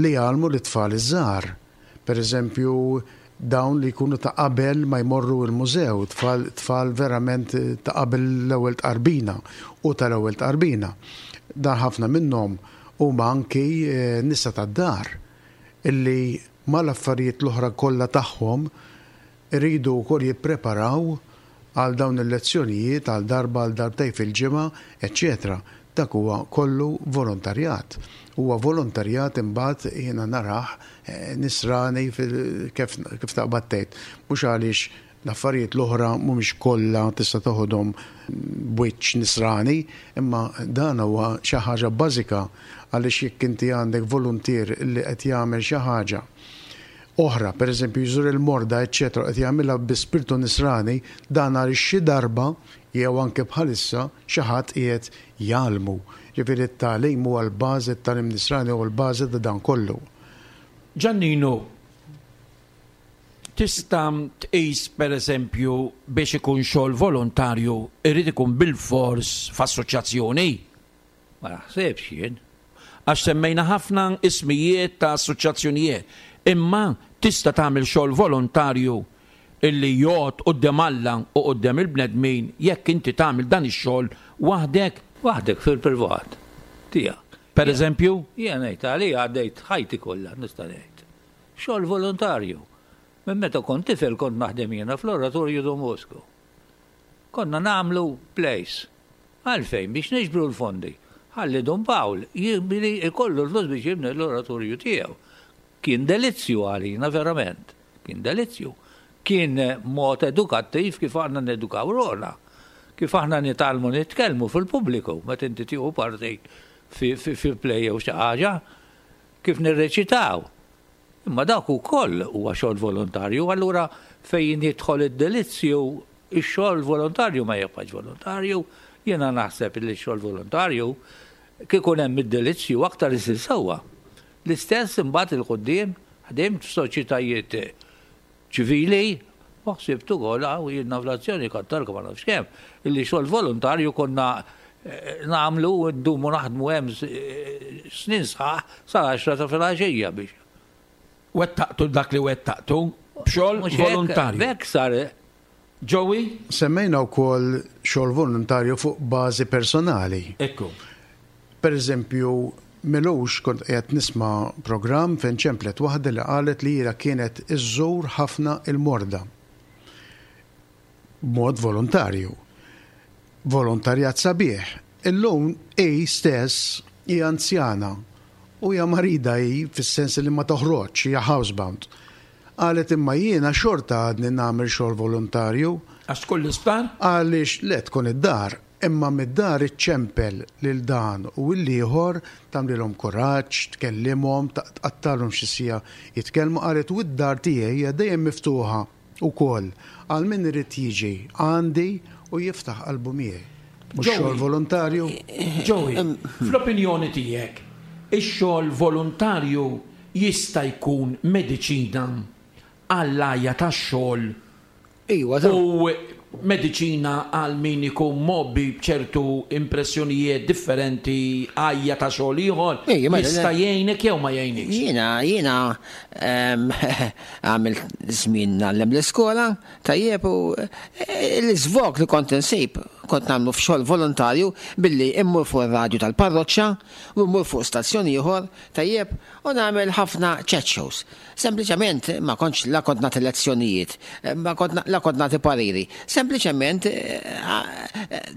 li jgħallmu l-tfal iż-żgħar. Per eżempju, dawn li jkunu ta' qabel ma jmorru il-mużew, tfal, tfal verament ta' qabel l-ewwel tqarbina u tal-ewwel tqarbina. Dan ħafna minnhom huma anki nisa tad-dar illi mal-affarijiet l-oħra kollha tagħhom iridu wkoll jippreparaw għal dawn il-lezzjonijiet għal darba għal darbtej fil-ġimgħa, eċċetera. Dak huwa kollu volontarjat. Huwa volontarjat imbagħad jiena narah nisrani kif, kif taqbad tgħid. Mhux għaliex L-affarijiet l-oħra mhumiex kollha tista' toħodhom b'wiċċ nisrani, imma dan huwa xi ħaġa bażika għaliex jekk inti għandek voluntier li qed jagħmel xi ħaġa oħra, per eżempju jżur il-morda, eċċetera, qed jagħmilha bi spirtu nisrani, dan għaliex xi darba jew anke bħalissa xi ħadd qiegħed jgħallmu. Ġifieri t-tagħlim huwa l-bażi t-tagħlim nisrani huwa l-bażi ta' dan kollu. Ġannino, tista' tqis pereżempju biex ikun xogħol volontarju irid ikun bilfors f'assoċjazzjoni? Ma naħsebx jien. Għax semmejna ħafna ismijiet ta' assoċjazzjonijiet. Imma tista' tagħmel xogħol volontarju illi jgħod quddiem Alla u quddiem il-bnedmin jekk inti tagħmel dan ix-xogħol waħdek. Waħdek fil-privat tiegħek. Per eżempju? Jien ngħid għalija għaddejt ħajti kollha nista' ngħid. Xogħol volontarju. Minn meta kont tifel kont naħdem jiena fl-Oratorju Don Bosco. Konna nagħmlu plays. Għalfejn biex niġbru l-fondi. Ħalli Don Pawl jibni ikollu l-flus biex jibni l-oratorju tiegħu. Kien delizzju għalina verament. Kien delizzju. Kien mod edukattiv kif aħna nedukaw ruħna. Kif aħna nitgħallmu nitkellmu fil-pubbliku meta inti tieħu parti fi, fi, fi play jew xi ħaġa, kif nirreċitaw. Imma dak ukoll huwa xogħol volontarju, allura fejn jidħol id-delizzju, ix-xogħol volontarju ma jibqax volontarju, jiena naħseb li x-xogħol volontarju kieku hemm id-delizzju aktar isir sewwa. L-istess imbagħad il-quddiem ħdimt f'soċjetajiet ċivili u ħsibt ukoll hawn jiena fl-azzjoni kattarka ma nafx kemm, illi xogħol volontarju konna nagħmlu u ndumu naħdmu hemm snin sħaħ sal-għaxra ta' filgħaxija biex. Wettaqtu dak li wettaqtu b'xogħol volontarju. B'hekk sar. Joey? Semmejna wkoll xogħol volontarju fuq bażi personali. Ekku. Per eżempju, milux kont qiegħed nisma' programm fejn ċemplet waħda li qalet li hija kienet iżżur ħafna il-morda. B'mod volontarju. Volontarjat sabiħ. Illum hi stess hija anzjana u hija marida hi fis-sens li ma toħroġ, hija housebound. Qalet imma jiena xorta għadni nagħmel xogħol volontarju. Għax tkun l-isptar? Għaliex le tkun id-dar, imma mid-dar iċċempel lil dan u l-ieħor tagħmlilhom kuraġġ, tkellimhom, tqattalhom xi siegħa jitkellmu. Qalet u d-dar tiegħi hija dejjem miftuħa wkoll għal min irid jiġi għandi u jiftaħ qalbu miegħi. Mhux xogħol volontarju. Joey, fl-opinjoni tiegħek, ix-xogħol volontarju jista' jkun mediċina għall-għajja tax-xogħol Iwa, u mediċina għal min ikun mobbi b'ċertu impressjonijiet differenti għajja ta' xogħol ieħor jista' jgħinek jew ma jgħinikx. Jiena jiena għamilt żmien ngħallem l-iskola tajjeb u l-iżvog li kont insib kont nagħmlu f'xogħol volontarju billi immur fuq ir-radju tal-parroċċa u mmur fuq stazzjon ieħor tajjeb u nagħmel ħafna chat shows. Sempliċement ma kontx la kont nagħti lezzjonijiet, ma kont la kont nagħti pariri. Sempliċement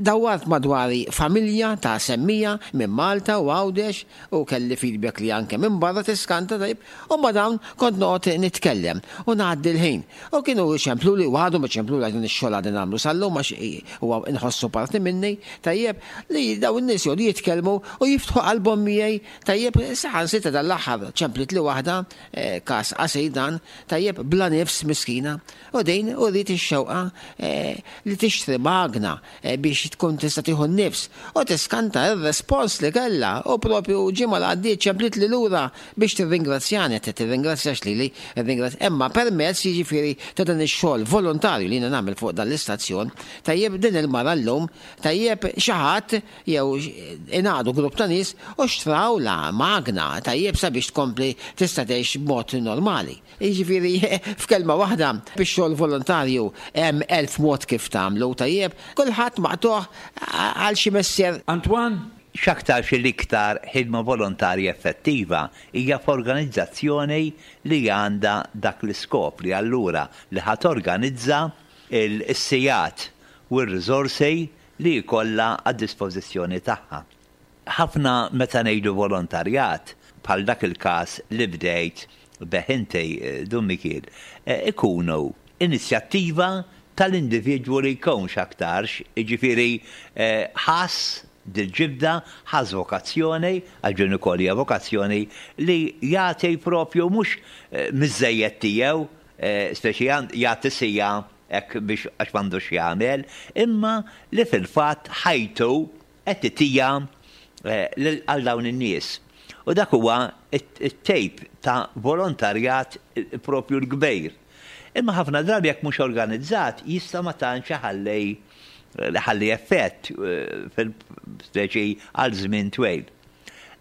dawwart madwari familja ta' semmija minn Malta u Għawdex u kelli feedback li anke minn barra tiskanta tajjeb u ma dawn kont noqgħod nitkellem u ngħaddi l-ħin. U kienu ċemplu li għadu ma ċemplu li dan ix-xogħol għadni nagħmlu sal-lum għax huwa inħossu parti minni tajjeb li dawn in-nies jgħodu jitkellmu u jiftħu qalbhom miegħi tajjeb saħansitra dan l-aħħar ċemplit li waħda każ qasir dan tajjeb bla nifs miskina u din u rrid ix-xewqa li tixtri magna biex tkun tista' tieħu n-nifs u tiskanta r-respons li kellha u propju ġimgħa li għaddiet ċemplit li lura biex tirringrazzjani qed tirringrazzjax lili imma permezz jiġifieri ta' dan ix-xogħol volontarju li jiena nagħmel fuq dan l-istazzjon tajjeb din il-mara llum tajjeb xi ħadd jew ingħadu grupp ta' nies u xtrawla magna tajjeb sabiex tkompli tista' tgħix b'mod normali. Jiġifieri f'kelma waħda bix-xogħol volontarju hemm elf mod kif tagħmlu tajjeb kulħadd maqtuħ għal xi messier. Antoine? X'aktarx l-iktar ħidma volontarja effettiva hija f'organizzazzjoni li għandha dak l-iskop li allura li ħa torganizza il-sigħat u r-riżorsi li jkollha għad-dispożizzjoni tagħha. Ħafna meta ngħidu volontarjat bħal dak il-każ li bdejt bih inti Dun Mikiel, ikunu inizjattiva tal-individwu li jkun x'aktarx, jiġifieri ħass dil-ġibda, ħass vokazzjoni, għax din ukoll hija vokazzjoni, li jagħti propju mhux miż-żejjed tiegħu, speċi jagħti siegħa hekk biex għax m'għandux jagħmel, imma li fil-fatt ħajtu qed itija għal dawn in-nies. U dak huwa it-tejp ta' volontarjat propju l-kbir. Imma ħafna drabi jekk mhux organizzat jista' ma tantx iħalli ħalli effett fil-speċi għal żmien twil.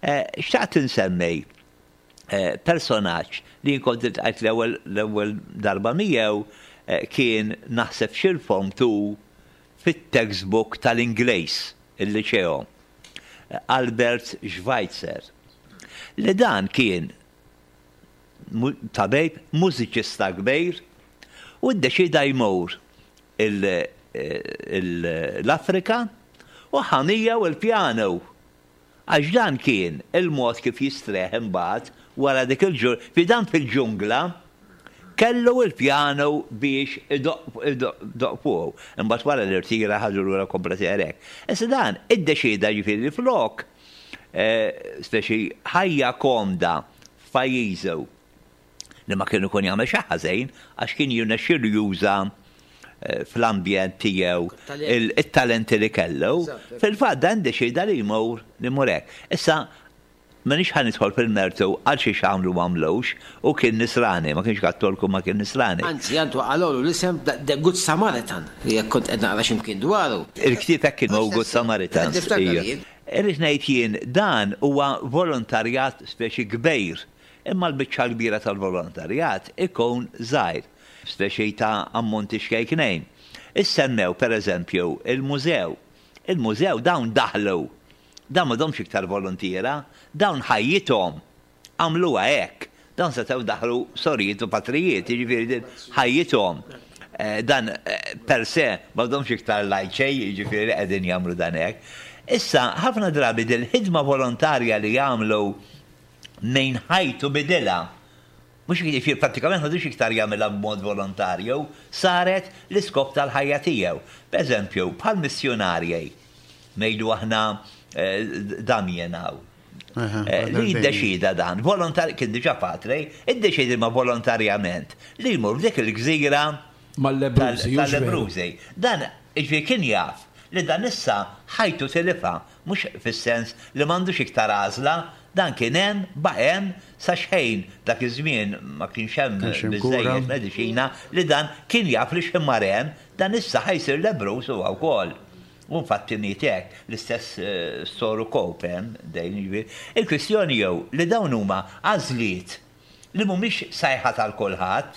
Xtaqt insemmi personaġġ li kont iltqajt l-ewwel darba miegħu kien naħseb xi Form two fit-textbook tal-Ingliż il-liċeo, Albert Schweitzer. Li dan kien tabib, mużiċista kbir, u ddeċida jmur l-Afrika u ħa miegħu il-pjano. Għax dan kien il-mod kif jistrieħ imbagħad wara dik il-ġur, fi dan fil-ġungla kellu il-pjano biex idoqq fuqu. Imbagħad wara l-irtira ħadu lura komplet hekk. Issa dan iddeċida ġifieri flok speċi ħajja komda f'pajjiżu li ma kienu kun jagħmel xi ħażin għax kien jirnexxielu juża fl-ambjent tiegħu it-talenti li kellu. Fil-fatt dan deċida li jmur li jmur hekk. Issa m'inix ħa nidħol fil-mertu għal xi x'għamlu m'għamlux u kien nisrani, ma kienx Kattolku ma kien nisrani. Anzi, għandu għalolu l-isem The Good Samaritan, li jekk kont qed naqra x'imkien dwaru. Il-ktieb hekk kien Good Samaritan. Irrid ngħid jien dan huwa volontarjat speċi kbir, imma l-biċċa kbira tal-volontarjat ikun żgħir, speċi ta' ammonti xkejknejn. Issemmew pereżempju il-mużew. Il-mużew dawn daħlu. Dawn m'għadhomx iktar volontiera, dawn ħajjithom għamluha hekk. Dawn setgħu daħlu sorijiet u patrijiet, jiġifieri din ħajjithom. Dan per se m'għadhomx iktar lajċej, jiġifieri qegħdin jagħmlu dan hekk. Issa, ħafna drabi dil-ħidma volontarja li jagħmlu minn ħajtu bidilha. Mhux jiġifieri prattikament m'għadux iktar jagħmilha b'mod volontarju, saret l-iskop tal-ħajja tiegħu. Pereżempju, bħal missjonarji, ngħidu aħna Damien hawn. Li jiddeċida dan, volontar, kien diġà patri, iddeċida ma volontarjament li jmur f'dik il-gżira tal-Lebbrużi. Dan jiġifieri kien jaf li dan issa ħajtu tilifha, mhux fis-sens li m'għandux iktar għażla, dan kien hemm, baqa' hemm sa xejn dak iż-żmien ma kienx hemm biżejjed mediċina li dan kien jaf li x'ħin mar hemm, dan issa ħajsir lebbruż huwa wkoll. U infatti miet hekk, l-istess soru Cope hemm dejn jiġifieri. Il-kwistjoni jew li dawn huma għażliet li mhumiex sajħa tal kulħadd.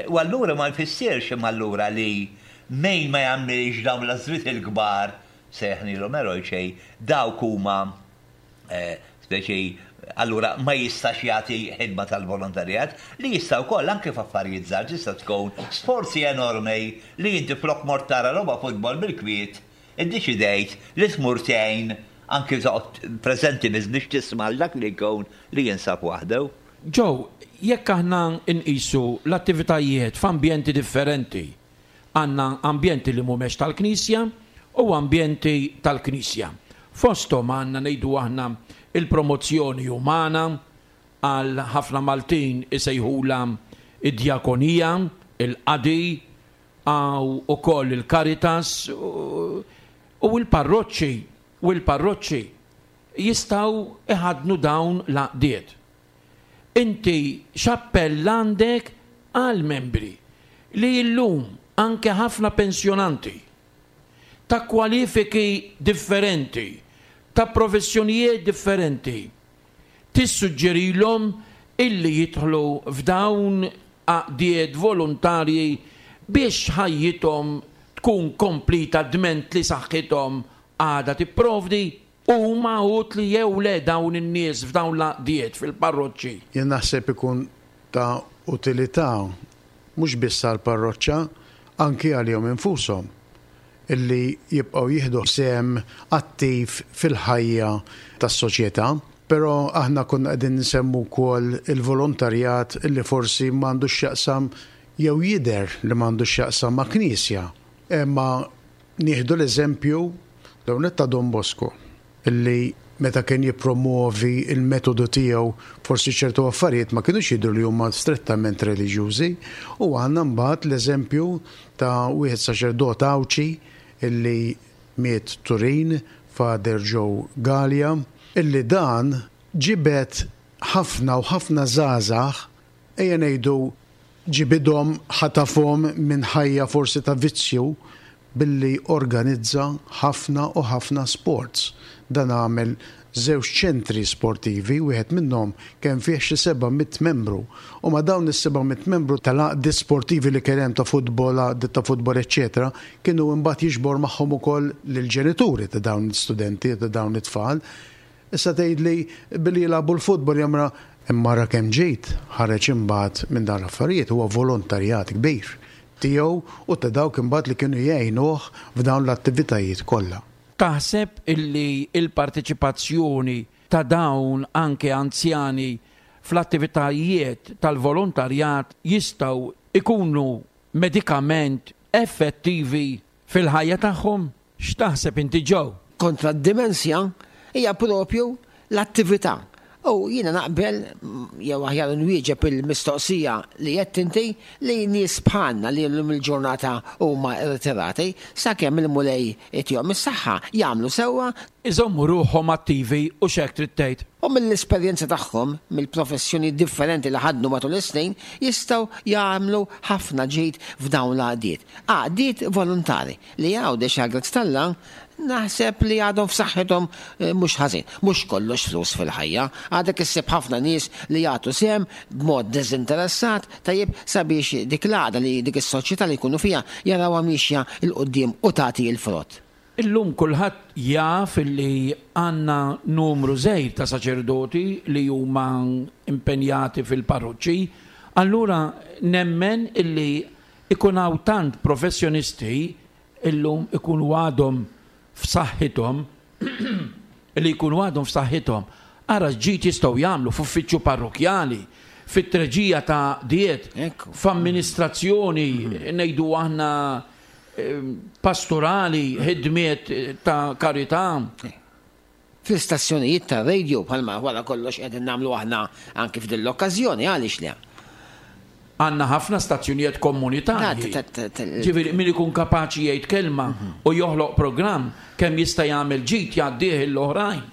U allura ma jfissirx imma allura li min ma jagħmilx dawn l-għażliet il-kbar sejħnilhom erojċej, dawk huma speċi allura ma jistax jagħti ħidma tal-volontarjat li jista' wkoll anke f'affarijiet żgħar tista' tkun sforzi enormi li inti flok mort tara logħba futbol bil-kwiet iddeċidejt li tmur tgħin anke toqgħod preżenti biss biex tisma' dak li jkun li jinsab waħdu. Joe, jekk aħna nqisu l-attivitajiet f'ambjenti differenti, għandna ambjenti li mhumiex tal-Knisja u ambjenti tal-Knisja. Fosthom għandna ngħidu aħna il-promozzjoni umana, għal ħafna Maltin isejħula id-djakonija, il-qadi, għaw ukoll il-Caritas u l-parroċċi u l-parroċċi jistgħu iħadnu dawn l-għaqdiet. Inti x'appell għandek għal membri li llum anke ħafna pensjonanti ta' kwalifiki differenti, ta' professjonijiet differenti, tissuġġerilhom illi jidħlu f'dawn għaqdiet volontarji biex ħajjithom tkun komplita dment li saħħithom għadha tipprovdi huma utli jew le dawn in-nies f'dawn l-għaqdiet fil-parroċċi? Jien naħseb ikun ta' utilità mhux biss għall-parroċċa, anki għalihom infushom illi jibqgħu jieħdu sehem attiv fil-ħajja tas-soċjetà. Però aħna konna qegħdin nsemmu wkoll il-volontarjat illi forsi m'għandux x'jaqsam jew jidher li m'għandux x'jaqsam ma' knisja. Imma nieħdu l-eżempju l-ewwel ta' Don Bosco, illi meta kien jippromovi il-metodu tiegħu forsi ċertu affarijiet ma kinux jidhru li huma strettament reliġjużi, u għandna mbagħad l-eżempju ta' wieħed saċerdot Għawdxi illi miet Turin, Father Joe Galea, illi dan ġibed ħafna u ħafna żgħażagħ, ejja ngħidu ġibidhom, ħatafhom minn ħajja forsi ta' vizzju billi organizza ħafna u ħafna sports. Dan għamel żewġ ċentri sportivi, wieħed minnhom kien fih xi seba' mitt membru. U ma' dawn is-seba' mitt membru tal-għaqdiet sportivi li kien hemm ta' futbol, għaqdiet ta' futbol, eċċetera, kienu imbagħad jiġbor magħhom ukoll lill-ġenituri ta' dawn l-istudenti, ta' dawn it-tfal. Issa tgħidli billi jilagħbu l-futbol jamra, imma ra kemm ġejt ħareġ imbagħad minn dawn l-affarijiet huwa volontarjat kbir tiegħu u ta' dawk imbagħad li kienu jgħinuh f'dawn l-attivitajiet kollha. Taħseb illi il-parteċipazzjoni ta' dawn anke anzjani fl-attivitajiet tal-volontarjat jistgħu ikunu medikament effettivi fil-ħajja tagħhom? X'taħseb inti, Joe? Kontra d-dimensja hija propju l-attività. U jiena naqbel, jew aħjar nwieġeb il-mistoqsija li qed inti, li nies bħalna li llum il-ġurnata huma irritirati, sakemm il-Mulej itihom is-saħħa jagħmlu sewwa. Iżommu ruħhom attivi u x'hekk trid tgħid. U mill-esperjenza tagħhom, mill-professjoni differenti li ħadnu matul is-snin, jistgħu jagħmlu ħafna ġid f'dawn l-għaqdiet. Għaqdiet volontari li Għawdex għal grazz t'Alla naħseb li għadhom f'saħħithom, eh, mhux ħażin. Mhux kollox flus fil-ħajja. Għadek issib ħafna nies li jagħtu sehem b'mod diżinteressat tajjeb sabiex dik l-għaqda li dik is-soċjetà li jkunu fiha jarawha mixja 'l quddiem u tagħti l-frott. Illum kulħadd jaf li għandna numru żgħir ta' saċerdoti li huma impenjati fil-parroċċi, allura nemmen illi ikun hawn tant professjonisti illum ikunu għadhom f'saħħithom, li jkunu għadhom f'saħħithom. Ara x'ġid jistgħu jagħmlu f'uffiċċju parrokjali, fit-treġija ta' diet, Ekku. f'amministrazzjoni, ngħidu aħna, eh, pastorali, ħidmiet ta' karità. Fl-istazzjonijiet ta' radio, bħalma wara kollox qegħdin nagħmlu aħna anki f'din l-okkażjoni, għaliex le? Għandna ħafna stazzjonijiet komunitarji. Ta' ta' ta' ta' Ġifieri min ikun kapaċi jgħid kelma u joħloq programm kemm jista' jagħmel ġid jgħaddih l-oħrajn.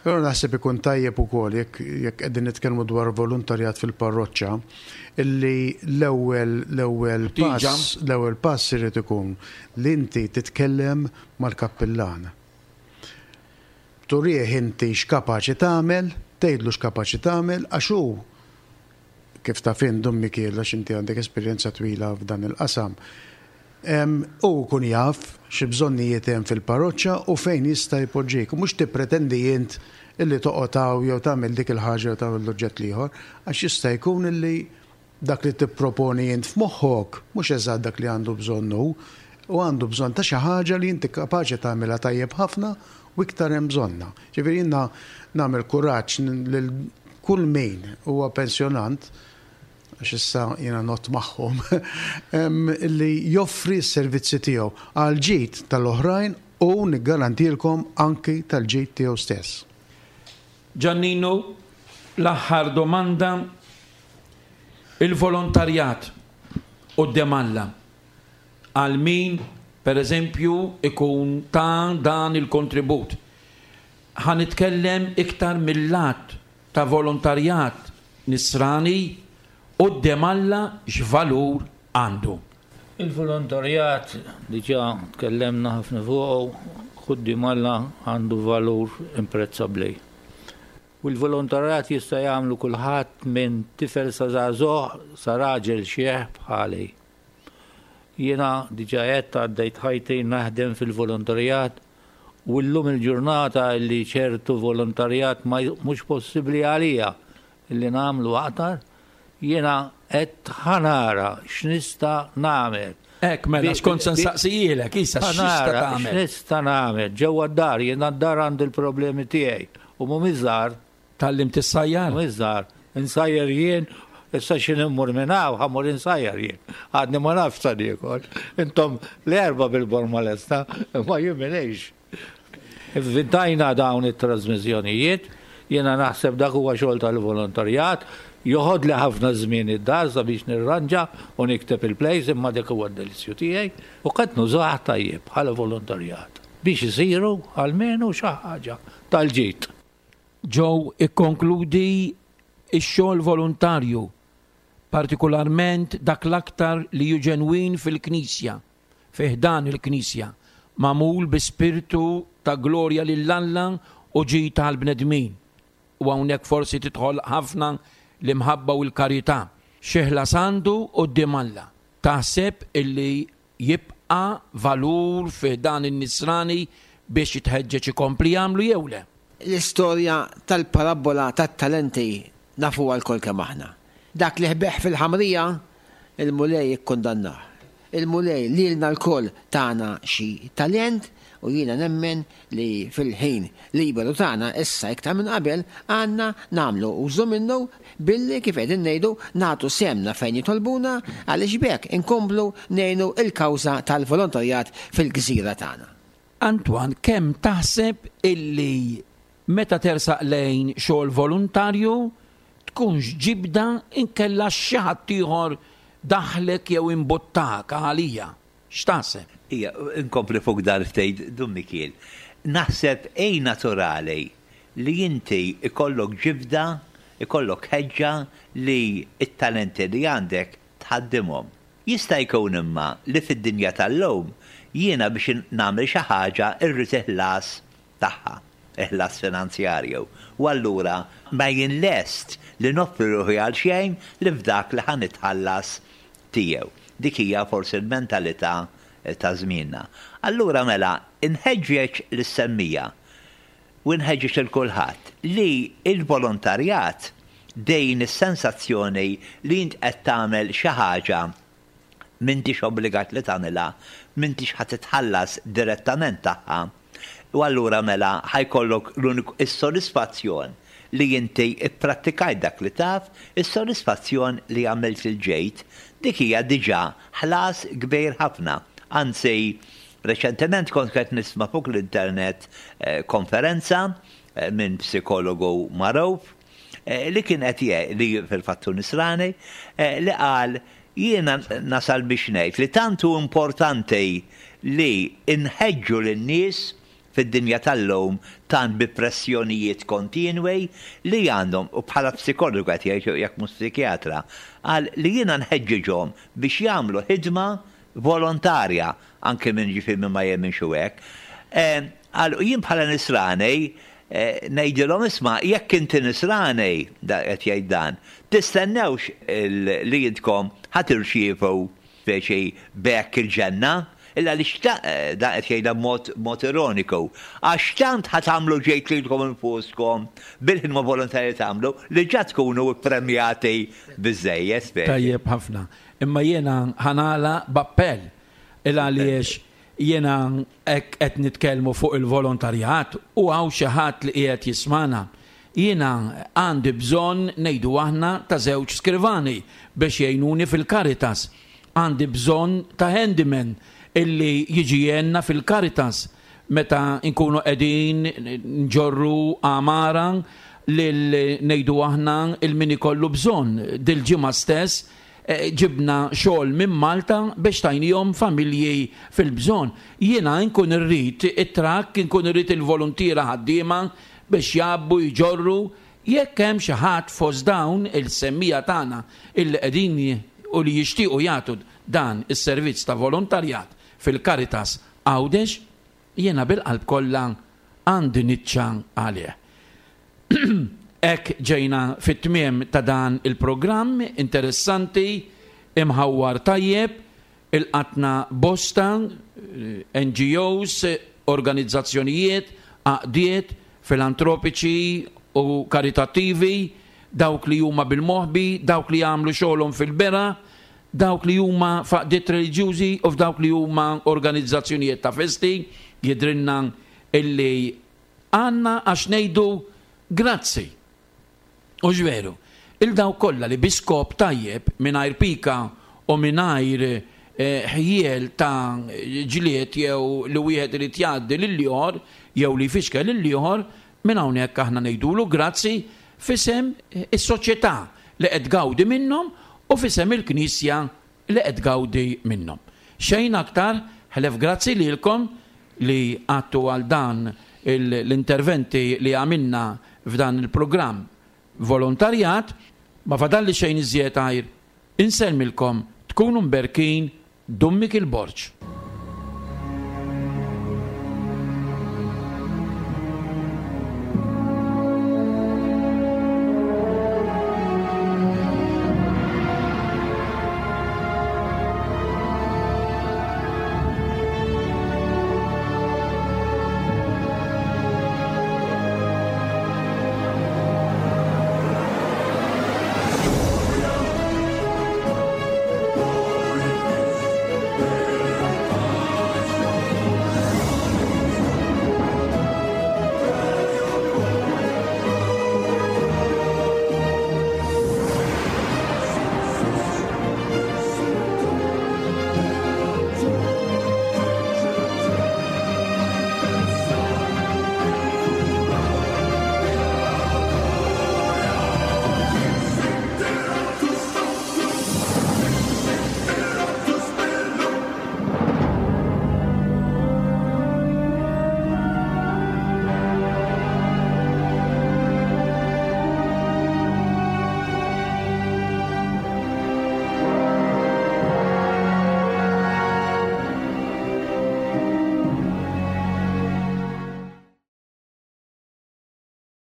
Però naħseb ikun tajjeb ukoll jekk, jekk qegħdin nitkellmu dwar volontarjat fil-parroċċa, illi l-ewwel, l-ewwel Tiġa. pass, l-ewwel pass irid ikun li inti titkellem mal-kappillan. Turih inti x'kapaċi tagħmel, tgħidlu x'kapaċi tagħmel, għax hu kif taf int, Dun Mikiel, għax inti għandek esperjenza twila f'dan il-qasam. Em, u kun jaf xi bżonnijiet hemm fil-parroċċa u fejn jista' jpoġġik. Mhux tippretendi int illi toqgħod hawn jew tagħmel dik il-ħaġa jew tagħmel l-oġġett l-ieħor, għax jista' jkun illi dak li tipproponi int f'moħħok mhux eżatt dak li għandu bżonn hu, u għandu bżonn ta' xi ħaġa li inti kapaċi tagħmilha tajjeb ħafna u iktar hemm bżonnha. Ġifieri jiena nagħmel kuraġġ lil kull min huwa pensjonant, għax issa jiena not magħhom, em, li joffri s-servizzi tiegħu għal ġid tal-oħrajn u niggarantilkom anki tal-ġid tiegħu stess. Giannino, l-aħħar domanda, il-volontarjat quddiem Alla għal min, per eżempju, ikun ta' dan il-kontribut. Ħa nitkellem iktar mill-lat ta' volontarjat nisrani quddiem Alla x'valur għandu. Il-volontarjat diġà tkellemna ħafna fuqu, quddiem Alla għandu valur imprezzabbli. U l-volontarjat jista' jagħmlu kulħadd minn tifel sa żagħżugħ sa raġel xieħ bħali. Jiena diġà qed għaddejt ħajti naħdem fil-volontarjat u llum il-ġurnata li ċertu volontarjat ma j-, mhux possibbli għalija li nagħmlu aktar, jiena qed ħanara x'nista' nagħmel. Ek, mela, Bi- xkont se bi- nsaqsijilek, issa x'nista' Ħanara tagħmel? x'nista' nagħmel ġewwa d-dar, jiena d-dar għandi l-problemi tiegħi u mhumiex żgħar. Tgħallimt issajjar? Mhumiex żgħar. Insajjar jien, Issa x'ħin immur minn hawn, ħa mmur insajjar jien. Għadni ma nafx sa niekol. Intom l-erba bil-borma lesta, ma jien m'iniex. Ivvintajna dawn it-trasmissjonijiet, jiena naħseb dak huwa xogħol tal-volontarjat, joħodli ħafna żmien id-dar sabiex nirranġa u nikteb il-plays, imma dak huwa d-delizzju tiegħi u qed nużah tajjeb bħala volontarjat biex isiru almenu xi ħaġa tal-ġid. Joe, ikkonkludi x-xogħol volontarju, partikolarment dak l-aktar li hu ġenwin fil-Knisja, fi ħdan il-Knisja, magħmul bi spirtu ta' glorja lil Alla u ġid tal-bnedmin. U hawnhekk forsi tidħol ħafna l-imħabba u l-karità. Xi ħlas għandu quddiem Alla. Taħseb illi jibqa' valur fi dan in-nisrani biex jitħeġġeġ ikompli jagħmlu jew le? L-istorja tal-parabbola tat-talenti nafuha lkoll kemm aħna. Dak li ħbeħ fil-ħamrija, il-Mulej ikkundannah. Il-Mulej lilna lkoll tana xi talent u jiena nemmen li fil-ħin liberu tagħna issa iktar minn qabel għandna nagħmlu użu minnu billi, kif qegħdin ngħidu, nagħtu sehemna fejn jitolbuna, għaliex b'hekk inkomplu ngħinu il-kawża tal-volontarjat fil-gżira tagħna. Antoine, kemm taħseb illi meta tersaq lejn xogħol volontarju tkunx ġibda inkella xi ħadd ieħor daħlek jew imbuttak għalija? X'taħseb? Ija, inkompli fuq dan ftit, Dun Mikiel. Naħseb ej naturali li inti ikollok ġibda, ikollok ħeġġa li it-talenti li għandek tħaddimhom. Jista' jkun imma li fid-dinja tal-lum jiena biex nagħmel xi ħaġa irrid iħlas tagħha, iħlas finanzjarju. U allura ma jien lest li noffri ruħi għal xejn li f'dak li ħa nitħallas tiegħu. Dik hija forsi l-mentalità ta' żmienna. Allura mela inħeġġeġ lis-semmiegħa u nħeġġeġ lil kulħadd li il-volontarjat dejn is-sensazzjoni li int qed tagħmel xi ħaġa m'intix obbligat li tagħmilha, m'intix ħa titħallas direttament tagħha. U allura mela ħa jkollok l-uniku is-sodisfazzjon li inti ipprattikajt dak li taf, is-sodisfazzjon li għamilt il-ġid, dik hija diġà ħlas kbir ħafna. Anzi, reċentement kont qed nisma' fuq l-internet eh, konferenza eh, minn psikologu magħruf eh, li kien qed jgħid li fil-fatt hu nisrani, eh, li qal jiena nasal biex ngħid li tant hu importanti li inħeġġu lin-nies fid-dinja tal-lum tant bi pressjonijiet kontinwi li għandhom, u bħala psikologu qed jgħid jekk mhux psikjatra, qal li jiena nħeġġiġhom biex jagħmlu ħidma volontarja, anke minn ġifieri minn ma jemminx u hekk. Eh, Qal jien bħala nisrani eh, ngħidilhom isma' jekk inti nisrani, da qed jgħid dan, tistennewx il- li intkom ħa tirċievu speċi b'hekk il-ġenna, illa li xta, eh, da qed jgħidha mod, mod ironiku, għax tant ħa tagħmlu ġid lilkom infuskom bil-ħidma volontarja tagħmlu li ġa tkunu ppremjati biżejjed speċi. Tajjeb ħafna. Imma jiena ħa nagħlaq b'appell il għaliex jiena hekk qed nitkellmu fuq il-volontarjat u hawn xi ħadd li qiegħed jismana. Jiena għandi bżonn, ngħidu aħna, ta' żewġ skrivani biex jgħinuni fil-Caritas. Għandi bżonn ta' handyman illi jiġi jgħinna fil-Caritas meta nkunu qegħdin nġorru għamara lil, ngħidu aħna, il-min ikollu bżonn. Dil-ġimgħa stess eh, ġibna xogħol minn Malta biex tajnihom familji fil-bżonn. Jiena nkun irrid it-trakk, nkun irrid il-voluntiera ħaddiema biex jgħabbu, jġorru. Jekk hemm xi ħadd fost dawn il-semmiegħa tagħna illi qegħdin u li jixtiequ jagħtu dan is-servizz ta' volontarjat fil-Caritas Għawdex, jiena bil-qalb kollha għandi niċċa għalih. Hekk ġejna fit-tmiem ta' dan il-programm interessanti, imħawwar tajjeb, ilqatna bosta eh, N G Os, organizzazzjonijiet, għaqdiet, filantropiċi u karitattivi, dawk li huma bil-moħbi, dawk li jagħmlu xogħolhom fil-bera, dawk li huma f'għaqdiet reliġjużi u f'dawk li huma organizzazzjonijiet ta' festi, jidrinna illi għandna għax ngħidu grazzi. U veru, Il dawk kollha li bi skop tajjeb, mingħajr pika u mingħajr ħjiel ta' ġlied jew li wieħed irid jgħaddi lill-ieħor jew li jfixkel lill-ieħor, minn hawnhekk aħna ngħidulu grazzi f'isem is-soċjetà li qed tgawdi minnhom u f'isem il-Knisja li qed tgawdi minnhom. Xejn aktar ħlef grazzi lilkom li għattu għal dan l-interventi li għamilna f'dan il-programm volontarjat, ma fadalli xejn iżjed għajr insellmilkom, tkunu mberkin. Dummick il-Borg.